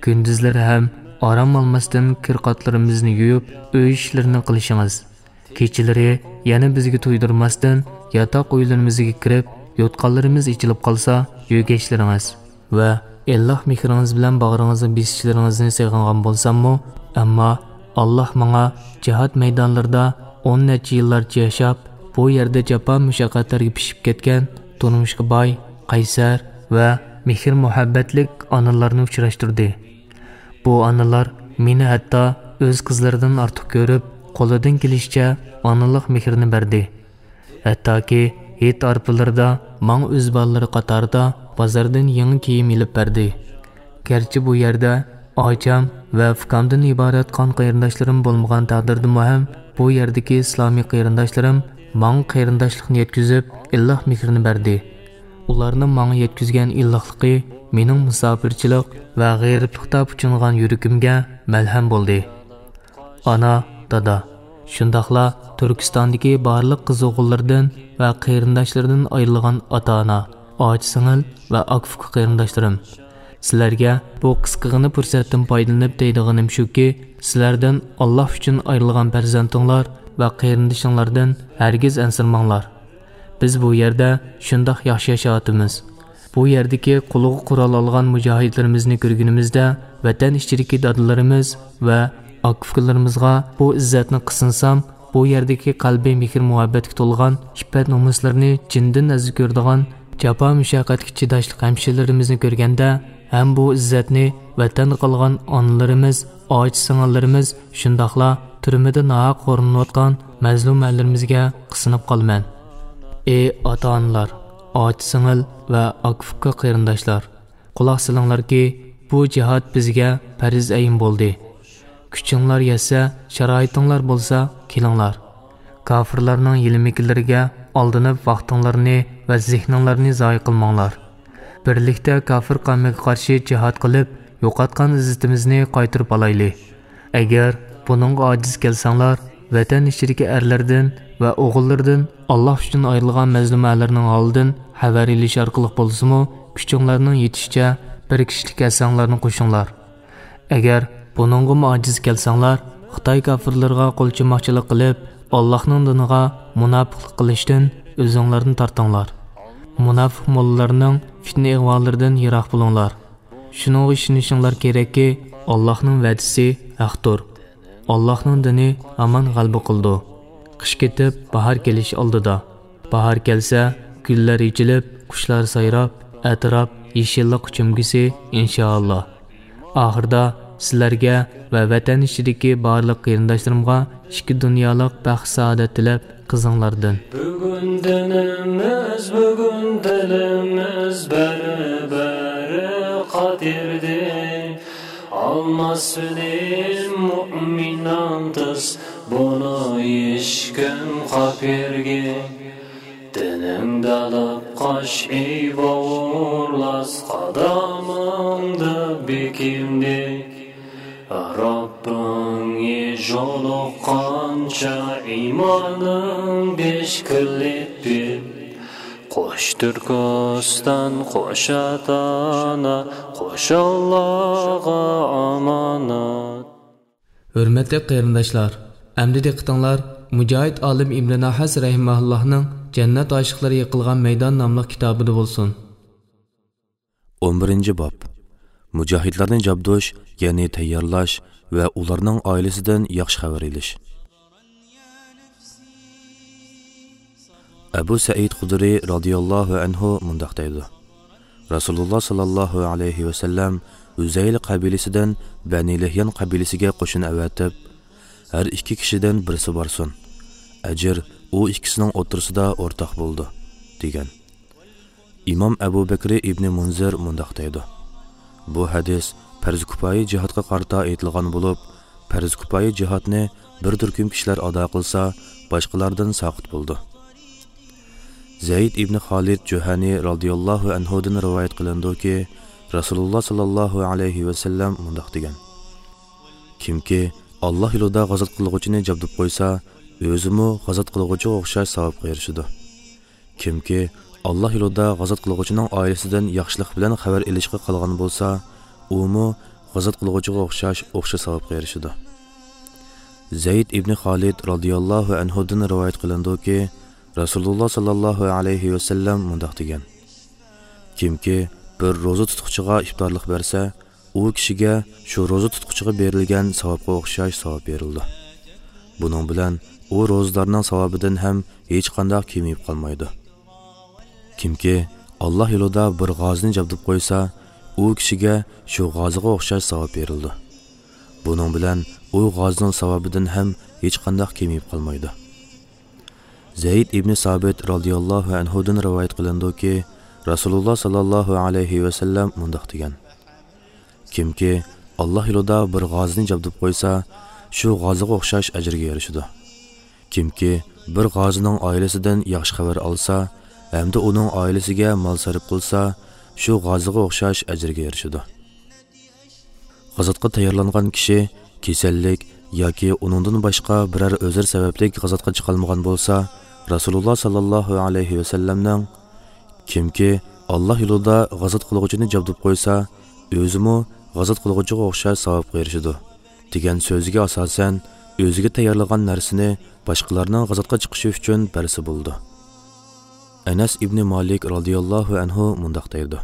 كۈندۈزلىرى ھەم ئارام ئالماستىن كىر-قاتلىرىمىزنى يۇيۇپ، ئۆي ئىشلىرىنى قىلىشىڭىز، كېچىلىرى يەنە بىزگە تۇيدۇرماستىن ياتاق ئۆيلىرىمىزگە كىرىپ، يوتقانلىرىمىز ئېچىلىپ قالسا يۆگەشلىرىڭىز ۋە ئىللىق مېھرىڭىز بىلەن باغرىڭىزنى بېسىشلىرىڭىزنى سېغىنغان بولساممۇ، ئەمما ئاللاھ ماڭا جىھاد مەيدانلىرىدا ئون نەچچە يىللارچە ياشاپ، بۇ يەردە جاپا-مۇشەققەتلەرگە پىشىپ كەتكەن، تۇرمۇشقا باي، قەيسەر ۋە مېھىر-مۇھەببەتلىك ئانىلارنى ئۇچراشتۇردى. بۇ ئانىلار مېنى ھەتتا ئۆز قىزلىرىدىن ئارتۇق كۆرۈپ، قولىدىن كېلىشىچە ئانىلىق مېھرىنى بەردى. ھەتتاكى ھېيت ئارپىلىرىدا ماڭا ئۆز بالىلىرى قاتارىدا بازاردىن يېڭى كىيىم ئېلىپ بەردى. گەرچە بۇ يەردە ئاچام ۋە ئۇكامدىن ئىبارەت قان قېرىنداشلىرىم بولمىغان تەقدىردىمۇ ھەم، بۇ يەردىكى ئىسلامىي قېرىنداشلىرىم ماڭا قېرىنداشلىقنى يەتكۈزۈپ، ئىللىق مېھرىنى بەردى. ئۇلارنىڭ ماڭا يەتكۈزگەن ئىللىقلىقى مېنىڭ مۇساپىرچىلىق ۋە غېرىبلىقتا پۇچۇنغان يۈرىكىمگە مەلھەم بولدى. ئانا، دادا، شۇنداقلا تۈركىستاندىكى بارلىق قىز-ئوغۇللىرىدىن ۋە قېرىنداشلىرىدىن ئايرىلغان ئاتا-ئانا، ئاچا-سىڭىل ۋە ئاكا-ئۇكا قېرىنداشلىرىم، سىلەرگە بۇ قىسقىغىنە پۇرسەتتىن پايدىلىنىپ دەيدىغىنىم شۇكى، سىلەردىن ئاللاھ ئۈچۈن ئايرىلغان پەرزەنتىڭلار ۋە قېرىندىشىڭلاردىن ھەرگىز ئەنسىرىمەڭلار. بىز بۇ يەردە شۇنداق ياخشى ياشاۋاتىمىز. بۇ يەردىكى قولىغا قورال ئالغان مۇجاھىدلىرىمىزنى كۆرگىنىمىزدە، ۋەتەن ئىچىدىكى دادىلىرىمىز ۋە ئاكا-ئۇكىلىرىمىزغا بۇ ئىززەتنى قىسىنسام، بۇ يەردىكى قەلبى مېھىر-مۇھەببەتكە تولغان، ئىپپەت-نومۇسلىرىنى جىندىن ئەزىز كۆرىدىغان، جاپا-مۇشەققەتكە چىداشلىق ھەمشىرىلىرىمىزنى كۆرگەندە، ھەم بۇ ئىززەتنى ۋەتەندە قالغان ئانىلىرىمىز، ئاچا-سىڭىللىرىمىز، شۇنداقلا تۈرمىدە ناھەق خورلىنىۋاتقان مەزلۇمەنلىرىمىزگە قىسىنىپ قالىمەن. ئى ئاتا-ئانىلار، ئاچا-سىڭىل ۋە ئاكا-ئۇكا قېرىنداشلار! قۇلاق سېلىڭلاركى، بۇ جىھاد بىزگە پەرز ئەين بولدى. كۈچۈڭلار يەتسە، شارائىتىڭلار بولسا، كېلىڭلار. كاپىرلارنىڭ ھىيلە-مىكىرلىرىگە ئالدىنىپ، ۋاقتىڭلارنى ۋە زېھنىڭلارنى زايە قىلماڭلار. بىرلىكتە كاپىر قەۋمىگە قارشى جىھاد قىلىپ، يوقاتقان ئىززىتىمىزنى قايتۇرۇپ ئالايلى. ئەگەر بۇنىڭغا ئاجىز كەلسەڭلار، ۋەتەن ئىچىدىكى ئەرلەردىن ۋە ئوغۇللىرىدىن ئاللاھ ئۈچۈن ئايرىلغان مەزلۇمەنلەرنىڭ ھالىدىن خەۋەر ئېلىش ئارقىلىق بولسىمۇ، كۈچۈڭلارنىڭ يېتىشىچە بىر كىشىلىك ھەسسەڭلارنى قوشۇڭلار. ئەگەر بۇنىڭغىمۇ ئاجىز كەلسەڭلار، خىتاي كاپىرلىرىغا قولچىماقچىلىق قىلىپ، ئاللاھنىڭ دىنىغا مۇناپىقلىق قىلىشتىن ئۆزۈڭلارنى تارتىڭلار. مۇناپىق موللىلارنىڭ پىتنە-ئىغۋالىرىدىن يىراق بولۇڭلار. شۇنىڭغا ئىشىنىشىڭلار كېرەككى، ئاللاھنىڭ ۋەدىسى ھەقتۇر. ئاللاھنىڭ دىنى ھامان غەلىبە قىلىدۇ. قىش كېتىپ، باھار كېلىش ئالدىدا. باھار كەلسە، گۈللەر ئېچىلىپ، قۇشلار سايراپ، ئەتراپ يېشىللىققا چۆمگۈسى، ئىنشائاللا. ئاخىرىدا سىلەرگە ۋە ۋەتەن ئىچىدىكى بارلىق قېرىنداشلىرىمغا ئىككى دۇنيالىق بەخت-سائادەت تىلەپ، قىزىڭلاردىن. بۈگۈن دىنىمىز، بۈگۈن دىلىمىز بەرىبىر قادىردى. ئالماسمىدى مۇئمىن نامدىس بۇنى ھېچكىم قاپىرگە. نىڭدالىپ قاش ئىباۋۇرلاس قادامىڭدا بېكىمدى. رەببىڭنى جولۇققانچە ئىمانىڭ بېشكىلىپ بىل. قوش تۈركىستان، قوش ئاتا-ئانا، قوش ئاللاغا ئامانەت. ھۆرمەتلىك قېرىنداشلار، ئەمدى دىققىتىڭلار مۇجاھىد ئالىم ئىبنى ناھاس رەھىمەھۇللاھنىڭ جەننەت ئاشىقلىرى يىقىلغان مەيدان ناملىق كىتابىدا بولسۇن. ئون بىرىنچى باب. مۇجاھىدلارنى جابدۇش، يەنى تەييارلاش ۋە ئۇلارنىڭ ئائىلىسىدىن ياخشى خەۋەر ئېلىش. ئەبۇ سەئىد خۇدرى رازىياللاھۇ ئەنھۇ مۇنداق دەيدۇ: رەسۇلۇللا ساللاللاھۇ ئەلەيھى ۋەسەللەم ھۈزەيل قەبىلىسىدىن بەنى لىھيان قەبىلىسىگە قوشۇن ئەۋەتىپ، ھەر ئىككى كىشىدىن بىرسى بارسۇن. ئەجىر ئۇ ئىككىسىنىڭ ئوتتۇرىسىدا ئورتاق بولىدۇ، دېگەن. ئىمام ئەبۇ بەكرى ئىبنى مۇنزىر مۇنداق دەيدۇ: بۇ ھەدىس پەرز كۇپايە جىھادقا قارىتا ئېيتىلغان بولۇپ، پەرز كۇپايە جىھادنى بىر تۈركۈم كىشىلەر ئادا قىلسا، باشقىلاردىن ساقىت بولىدۇ. زەيد ئىبنى خالىد جۇھەنى رازىياللاھۇ ئەنھۇدىن رىۋايەت قىلىنىدۇكى، رەسۇلۇللا ساللاللاھۇ ئەلەيھى ۋەسەللەم مۇنداق دېگەن: كىمكى ئاللا يولىدا غازات قىلغۇچىنى جابدۇپ قويسا، ئۆزىمۇ غازات قىلغۇچىغا ئوخشاش ساۋابقا ئېرىشىدۇ. كىمكى ئاللا يولىدا غازات قىلغۇچىنىڭ ئائىلىسىدىن ياخشىلىق بىلەن خەۋەر ئېلىشقا قالغان بولسا، ئۇمۇ غازات قىلغۇچىغا ئوخشاش، ئوخشاش ساۋابقا ئېرىشىدۇ. زەيد ئىبنى خالىد رازىياللاھۇ ئەنھۇدىن رىۋايەت قىلىنىدۇكى، رەسۇلۇللا ساللاللاھۇ ئەلەيھى ۋەسەللەم مۇنداق دېگەن: كىمكى بىر روزا تۇتقۇچىغا ئىپتارلىق بەرسە، ئۇ كىشىگە شۇ روزا تۇتقۇچىغا بېرىلگەن ساۋابقا ئوخشاش ساۋاب بېرىلىدۇ. بۇنىڭ بىلەن ئۇ روزىدارنىڭ ساۋابىدىن ھەم ھېچقانداق كېمىيىپ قالمايدۇ. كىمكى ئاللا يولىدا بىر غازىنى جابدۇپ قويسا، ئۇ كىشىگە شۇ غازىغا ئوخشاش ساۋاب بېرىلىدۇ. بۇنىڭ بىلەن ئۇ غازىنىڭ ساۋابىدىن ھەم ھېچقانداق كېمىيىپ قالمايدۇ. زەيد ئىبنى سابىت رازىياللاھۇ ئەنھۇدىن رىۋايەت قىلىنىدۇكى، رەسۇلۇللا ساللاللاھۇ ئەلەيھى ۋەسەللەم مۇنداق دېگەن: كىمكى ئاللا يولىدا بىر غازىنى جابدۇپ قويسا، شۇ غازىغا ئوخشاش ئەجىرگە ئېرىشىدۇ. كىمكى بىر غازىنىڭ ئائىلىسىدىن ياخشى خەۋەر ئالسا ھەمدە ئۇنىڭ ئائىلىسىگە مال سەرپ قىلسا، شۇ غازىغا ئوخشاش ئەجىرگە ئېرىشىدۇ. غازاتقا تەييارلانغان كىشى كېسەللىك ياكى ئۇنىڭدىن باشقا بىرەر ئۆزرە سەۋەبلىك غازاتقا چىقالمىغان بولسا، رەسۇلۇللا ساللاللاھۇ ئەلەيھى ۋەسەللەمنىڭ، كىمكى ئاللا يولىدا غازات قىلغۇچىنى جابدۇپ قويسا، ئۆزىمۇ غازات قىلغۇچىغا ئوخشاش ساۋابقا ئېرىشىدۇ، دېگەن سۆزىگە ئاساسەن، ئۆزىگە تەييارلىغان نەرسىنى باشقىلارنىڭ غازاتقا چىقىشى ئۈچۈن بەرسە بولىدۇ. ئەنەس ئىبنى مالىك رازىياللاھۇ ئەنھۇ مۇنداق دەيدۇ: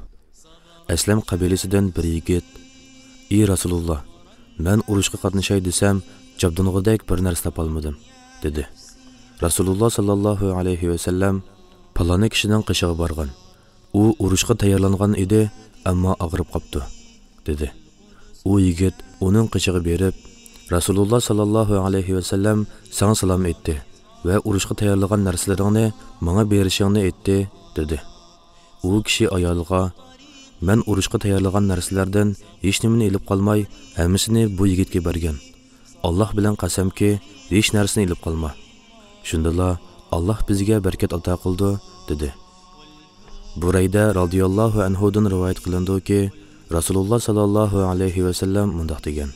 ئەسلەم قەبىلىسىدىن بىر يىگىت، ئى رەسۇلۇللا، مەن ئۇرۇشقا قاتنىشاي دېسەم، جابدۇنغۇدەك بىر نەرسە تاپالمىدىم، دېدى. رەسۇلۇللا ساللاللاھۇ ئەلەيھى ۋەسەللەم، پالانى كىشىنىڭ قېشىغا بارغىن. ئۇ ئۇرۇشقا تەييارلانغان ئىدى، ئەمما ئاغرىپ قاپتۇ، دېدى. ئۇ يىگىت ئۇنىڭ قېشىغا بېرىپ، رەسۇلۇللا ساللاللاھۇ ئەلەيھى ۋەسەللەم ساڭا سالام ئېيتتى ۋە ئۇرۇشقا تەييارلىغان نەرسىلىرىڭنى ماڭا بېرىشىڭنى ئېيتتى، دېدى. ئۇ كىشى ئايالىغا، مەن ئۇرۇشقا تەييارلىغان نەرسىلەردىن ھېچنېمىنى ئېلىپ قالماي، ھەممىسىنى بۇ يىگىتكە بەرگەن. ئاللا بىلەن قەسەمكى، ھېچ نەرسىنى ئېلىپ قالما. شۇندىلا ئاللا بىزگە بەرىكەت ئاتا قىلىدۇ، دېدى. بۇرەيدە رازىياللاھۇ ئەنھۇدىن رىۋايەت قىلىنىدۇكى، رەسۇلۇللا ساللاللاھۇ ئەلەيھى ۋەسەللەم مۇنداق دېگەن: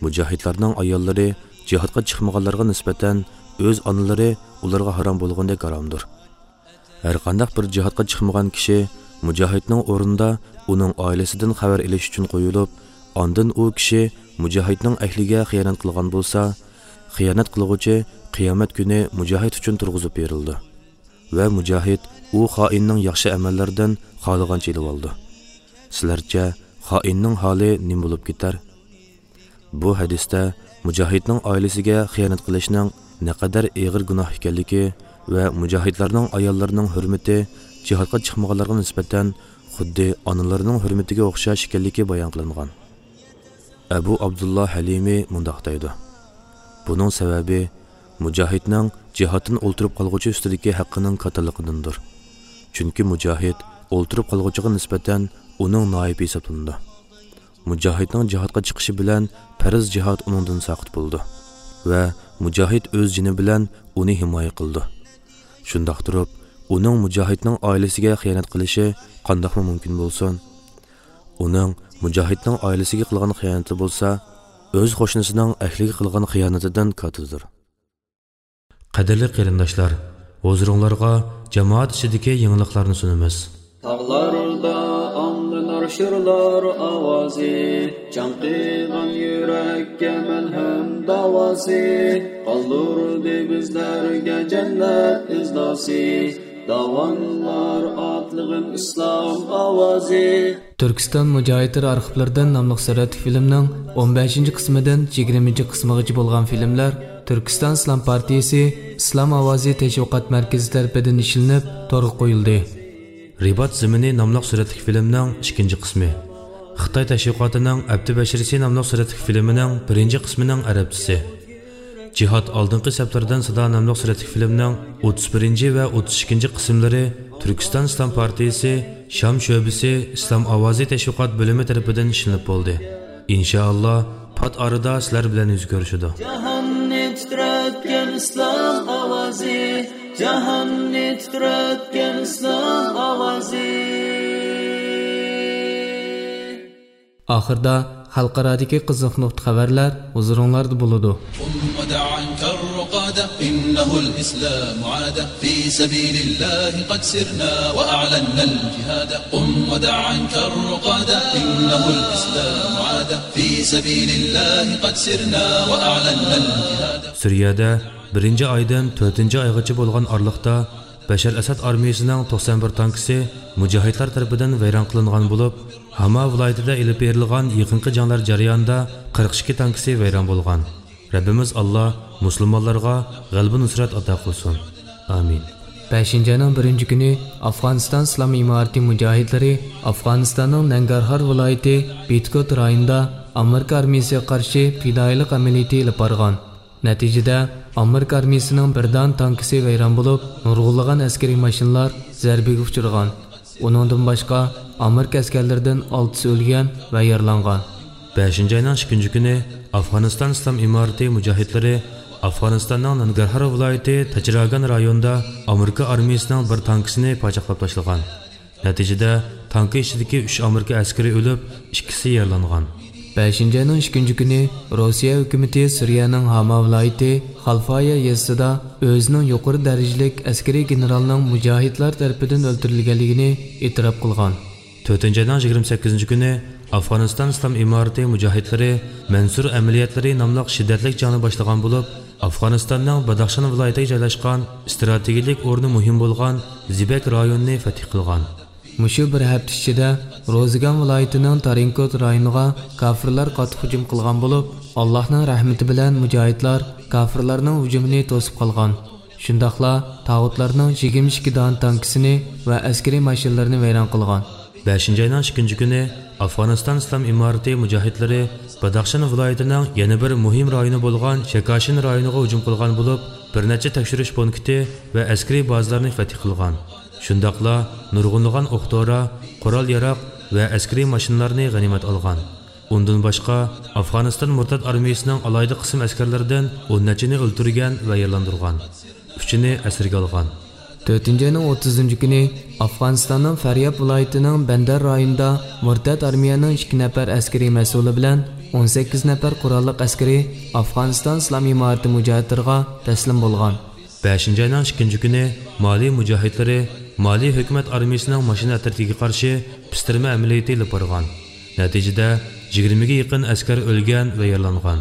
مۇجاھىدلارنىڭ ئاياللىرى جىھادقا چىقمىغانلارغا نىسبەتەن ئۆز ئانىلىرى ئۇلارغا ھارام بولغاندەك ھارامدۇر. ھەرقانداق بىر جىھادقا چىقمىغان كىشى مۇجاھىدنىڭ ئورنىدا ئۇنىڭ ئائىلىسىدىن خەۋەر ئېلىش ئۈچۈن قويۇلۇپ، ئاندىن ئۇ كىشى مۇجاھىدنىڭ ئەھلىگە خىيانەت قىلغان بولسا، خىيانەت قىلغۇچى قىيامەت كۈنى مۇجاھىد ئۈچۈن تۇرغۇزۇپ بېرىلىدۇ ۋە مۇجاھىد ئۇ خائىننىڭ ياخشى ئەمەللىرىدىن خالىغانچە ئېلىۋالىدۇ. سىلەرچە خائىننىڭ ھالى نېمە بولۇپ كېتەر؟ بۇ ھەدىستە مۇجاھىدنىڭ ئائىلىسىگە خىيانەت قىلىشنىڭ نەقەدەر ئېغىر گۇناھ ئىكەنلىكى ۋە مۇجاھىدلارنىڭ ئاياللىرىنىڭ ھۆرمىتى جىھادقا چىقمىغانلارغا نىسبەتەن خۇددى ئانىلىرىنىڭ ھۆرمىتىگە ئوخشاش ئىكەنلىكى بايان قىلىنغان. ئەبۇ ئابدۇللا ھەلىمى مۇنداق دەيدۇ: بۇنىڭ سەۋەبى مۇجاھىدنىڭ جىھادتىن ئولتۇرۇپ قالغۇچى ئۈستىدىكى ھەققىنىڭ كاتتىلىقىدىندۇر. چۈنكى مۇجاھىد ئولتۇرۇپ قالغۇچىغا نىسبەتەن ئۇنىڭ نائىبى ھېسابلىنىدۇ. مۇجاھىدنىڭ جىھادقا چىقىشى بىلەن پەرز جىھاد ئۇنىڭدىن ساقىت بولىدۇ ۋە مۇجاھىد ئۆز جېنى بىلەن ئۇنى ھىمايە قىلىدۇ. شۇنداق تۇرۇپ، ئۇنىڭ مۇجاھىدنىڭ ئائىلىسىگە خىيانەت قىلىشى قانداقمۇ مۇمكىن بولسۇن؟ ئۇنىڭ مۇجاھىدنىڭ ئائىلىسىگە قىلغان خىيانىتى بولسا، ئۆز قوشنىسىنىڭ ئەھلىگە قىلغان خىيانىتىدىن كاتتىدۇر. قەدىرلىك قېرىنداشلار، ھۇزۇرۇڭلارغا جامائەت ئىچىدىكى يېڭىلىقلارنى سۇنىمىز. تاغلاردا ئاڭلىنار شىرلار ئاۋازى، چاڭقىغان يۈرەككە مەلھەم داۋاسى، قالدۇردى بىزلەرگە جەننەت ئىزناسى. داۋانلار ئاتلىغىن ئىسلام ئاۋازى. تۈركىستان مۇجاھىدلىرى ئارخىپلىرىدىن ناملىق سۈرەتلىك فىلىمنىڭ ئون بەشىنچى قىسمىدىن يىگىرمىنچى قىسمىغىچە بولغان فىلىملەر تۈركىستان ئىسلام پارتىيىسى ئىسلام ئاۋازى تەشۋىقات مەركىزى تەرىپىدىن ئىشلىنىپ، تورغا قويۇلدى. رىبات زېمىنى ناملىق سۈرەتلىك فىلىمنىڭ ئىككىنچى قىسمى. خىتاي تەشۋىقاتىنىڭ ئەپتى بەشىرىسى ناملىق سۈرەتلىك فىلىمىنىڭ بىرىنچى قىسمىنىڭ ئەرەبچىسى. جىھاد ئالدىنقى سەپلىرىدىن سادا ناملىق سۈرەتلىك فىلىمنىڭ ئوتتۇز بىرىنچى ۋە ئوتتۇز ئىككىنچى قىسىملىرى تۈركىستان ئىسلام پارتىيىسى شام شۆبىسى ئىسلام ئاۋازى تەشۋىقات بۆلۈمى تەرىپىدىن ئىشلىنىپ بولدى. ئىنشائاللا، پات ئارىدا سىلەر بىلەن يۈز كۆرۈشىدۇ. جاھاننى تىترەتكەن ئىسلام ئاۋازى، جاھاننى تىترەتكەن ئىسلام ئاۋازى. ئاخىردا خەلقئارادىكى قىزىق نۇقتا خەۋەرلەر ھۇزۇرۇڭلاردا بولىدۇ. قم ودع عنك الرقاد، إنه الإسلام عاد، في سبيل الله قد سرنا وأعلنا الجهاد. قم ودع عنك الرقاد، إنه الإسلام عاد، في سبيل الله قد سرنا وأعلنا الجهاد. سۈرىيەدە بىرىنچى ئايدىن تۆتىنچى ئايغىچە بولغان ئارىلىقتا بەشەر ئەسەد ئارمىيىسىنىڭ توقسان بىر تانكىسى مۇجاھىدلار تەرىپىدىن ۋەيران قىلىنغان بولۇپ، ھاما ۋىلايىتىدە ئېلىپ بېرىلغان يېقىنقى جەڭلەر جەريانىدا قىرىق ئىككى تانكىسى ۋەيران بولغان. رەببىمىز ئاللا مۇسۇلمانلارغا غەلىبە نۇسرەت ئاتا قىلسۇن. ئامىن. بەشىنچى ئاينىڭ بىرىنچى كۈنى ئافغانىستان ئىسلام ئىمارىتى مۇجاھىدلىرى ئافغانىستاننىڭ نەنگەرھار ۋىلايىتى بىتكوت رايونىدا ئامېرىكا ئارمىيىسىغا قارشى پىدائىيلىق ئەمەلىيىتى ئېلىپ بارغان. نەتىجىدە، ئامېرىكا ئارمىيىسىنىڭ بىر دانە تانكىسى ۋەيران بولۇپ، نۇرغۇنلىغان ئەسكىرىي ماشىنىلار زەربىگە ئۇچرىغان. ئۇنىڭدىن باشقا، ئامېرىكا ئەسكەرلىرىدىن ئالتىسى ئۆلگەن ۋە يارىلانغان. بەشىنچى ئاينىڭ ئىككىنچى كۈنى ئافغانىستان ئىسلام ئىمارىتى مۇجاھىدلىرى ئافغانىستاننىڭ نانگارھار ۋىلايىتى تاچراگان رايونىدا ئامېرىكا ئارمىيىسىنىڭ بىر تانكىسىنى پاچاقلاپ تاشلىغان. نەتىجىدە، تانكا ئىچىدىكى ئۈچ ئامېرىكا ئەسكىرى ئۆلۈپ، ئىككىسى يارىلانغان. بەشىنچى ئاينىڭ ئىككىنچى كۈنى روسىيە ھۆكۈمىتى سۈرىيەنىڭ ھاما ۋىلايىتى خالفايا يېزىسىدا ئۆزىنىڭ يۇقىرى دەرىجىلىك ئەسكىرىي گېنېرالنىڭ مۇجاھىدلار تەرىپىدىن ئۆلتۈرۈلگەنلىكىنى ئېتىراپ قىلغان. تۆتىنچى ئاينىڭ يىگىرمە سەككىزىنچى كۈنى ئافغانىستان ئىسلام ئىمارىتى مۇجاھىدلىرى مەنسۇر ئەمەلىيەتلىرى ناملىق شىددەتلىك جەڭنى باشلىغان بولۇپ، ئافغانىستاننىڭ باداخشان ۋىلايىتىگە جايلاشقان ئىستراتېگىيىلىك ئورنى مۇھىم بولغان زىبەك رايونىنى فەتھ قىلغان. مۇشۇ بىر ھەپتە ئىچىدە روزىگان ۋىلايىتىنىڭ تارىنكوت رايونىغا كاپىرلار قاتتىق ھۇجۇم قىلغان بولۇپ، ئاللاھنىڭ رەھمىتى بىلەن مۇجاھىدلار كاپىرلارنىڭ ھۇجۇمىنى توسۇپ قالغان. شۇنداقلا تاغۇتلارنىڭ يىگىرمە ئىككى دانە تانكىسىنى ۋە ئەسكىرىي ماشىنىلىرىنى ۋەيران قىلغان. بەشىنچى ئاينىڭ ئىككىنچى كۈنى ئافغانىستان ئىسلام ئىمارىتى مۇجاھىدلىرى باداخشان ۋىلايىتىنىڭ يەنە بىر مۇھىم رايونى بولغان شەكاشىن رايونىغا ھۇجۇم قىلغان بولۇپ، بىر نەچچە تەكشۈرۈش پونكىتى ۋە ئەسكىرىي بازىلارنى فەتھ قىلغان. شۇنداقلا نۇرغۇنلىغان ئوق-دورا، قورال-ياراغ ۋە ئەسكىرىي ماشىنىلارنى غەنىيمەت ئالغان. ئۇندىن باشقا، ئافغانىستان مۇرتەت ئارمىيىسىنىڭ ئالاھىدە قىسىم ئەسكەرلىرىدىن ئون نەچچىنى ئۆلتۈرگەن ۋە يارىلاندۇرغان. ئۈچىنى ئەسىرگە ئالغان. تۆتىنچى ئاينىڭ ئوتتۇزىنچى كۈنى ئافغانىستاننىڭ فەرياب ۋىلايىتىنىڭ بەندەر رايونىدا مۇرتەت ئارمىيەنىڭ ئىككى نەپەر ئەسكىرىي مەسئۇلى بىلەن ئون سەككىز نەپەر قوراللىق ئەسكىرى ئافغانىستان ئىسلام ئىمارىتى مۇجاھىدلىرىغا تەسلىم بولغان. بەشىنچى ئاينىڭ ئىككىنچى كۈنى مالى مۇجاھىدلىرى مالى ھۆكۈمەت ئارمىيىسىنىڭ ماشىنا ئەترىتىگە قارشى پىستىرما ئەمەلىيىتى ئېلىپ بارغان. نەتىجىدە، يىگىرمىگە يېقىن ئەسكەر ئۆلگەن ۋە يارىلانغان.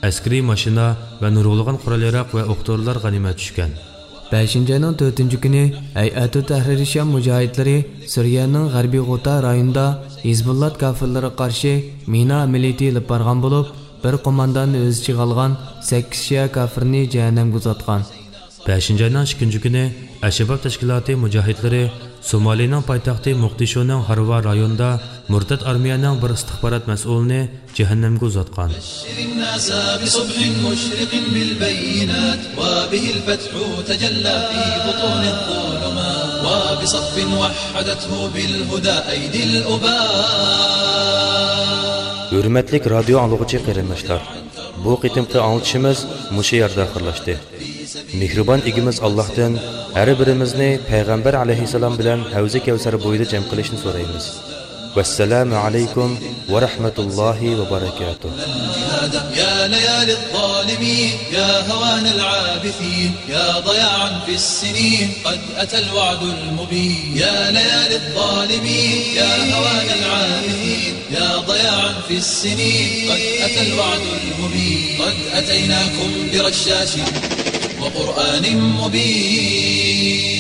ئەسكىرىي ماشىنا ۋە نۇرغۇنلىغان قورال-ياراغ ۋە ئوق-دورىلار غەنىيمەت چۈشكەن. بەشىنچى ئاينىڭ تۆتىنچى كۈنى ھەيئەتۇ تەھرىر شام مۇجاھىدلىرى سۈرىيەنىڭ غەربىي غۇتا رايونىدا ھىزبۇللات كاپىرلىرىغا قارشى مىنا ئەمەلىيىتى ئېلىپ بارغان بولۇپ، بىر قومانداننى ئۆز ئىچىگە ئالغان سەككىز شىئە كاپىرنى جەھەننەمگە ئۇزاتقان. بەشىنچى ئاينىڭ ئىككىنچى كۈنى ئەلشەباب تەشكىلاتى مۇجاھىدلىرى سومالىنىڭ پايتەختى موقدىشۇنىڭ ھارۋا رايونىدا مۇرتەت ئارمىيەنىڭ بىر ئىستىخبارات مەسئۇلىنى جەھەننەمگە ئۇزاتقان. بشر الناس بصبح مشرق بالبينات، وبه الفتح تجلى في بطون الظلمات، وبصف وحدته بالهدى أيدي الأباء. ھۆرمەتلىك رادىيو ئاڭلىغۇچى قېرىنداشلار! بۇ قېتىمقى ئاڭلىتىشىمىز مۇشۇ يەردە ئاخىرلاشتى. مېھرىبان ئىگىمىز ئاللاھتىن ھەر بىرىمىزنى پەيغەمبەر ئەلەيھىسسالام بىلەن ھەۋزى كەۋسەر بويىدا جەم قىلىشنى سورايمىز. ۋەسسالامۇ ئەلەيكۇم ۋە رەھمەتۇللاھى ۋە بەرەكاتۇھ. يا ليالي الظالمين، يا هوان العابثين، يا ضياعا في السنين، قد أتى الوعد المبين. يا ليالي الظالمين، يا هوان العابثين، يا ضياعا في السنين، قد أتى الوعد المبين. قد أتيناكم برشاش وقرآن مبين.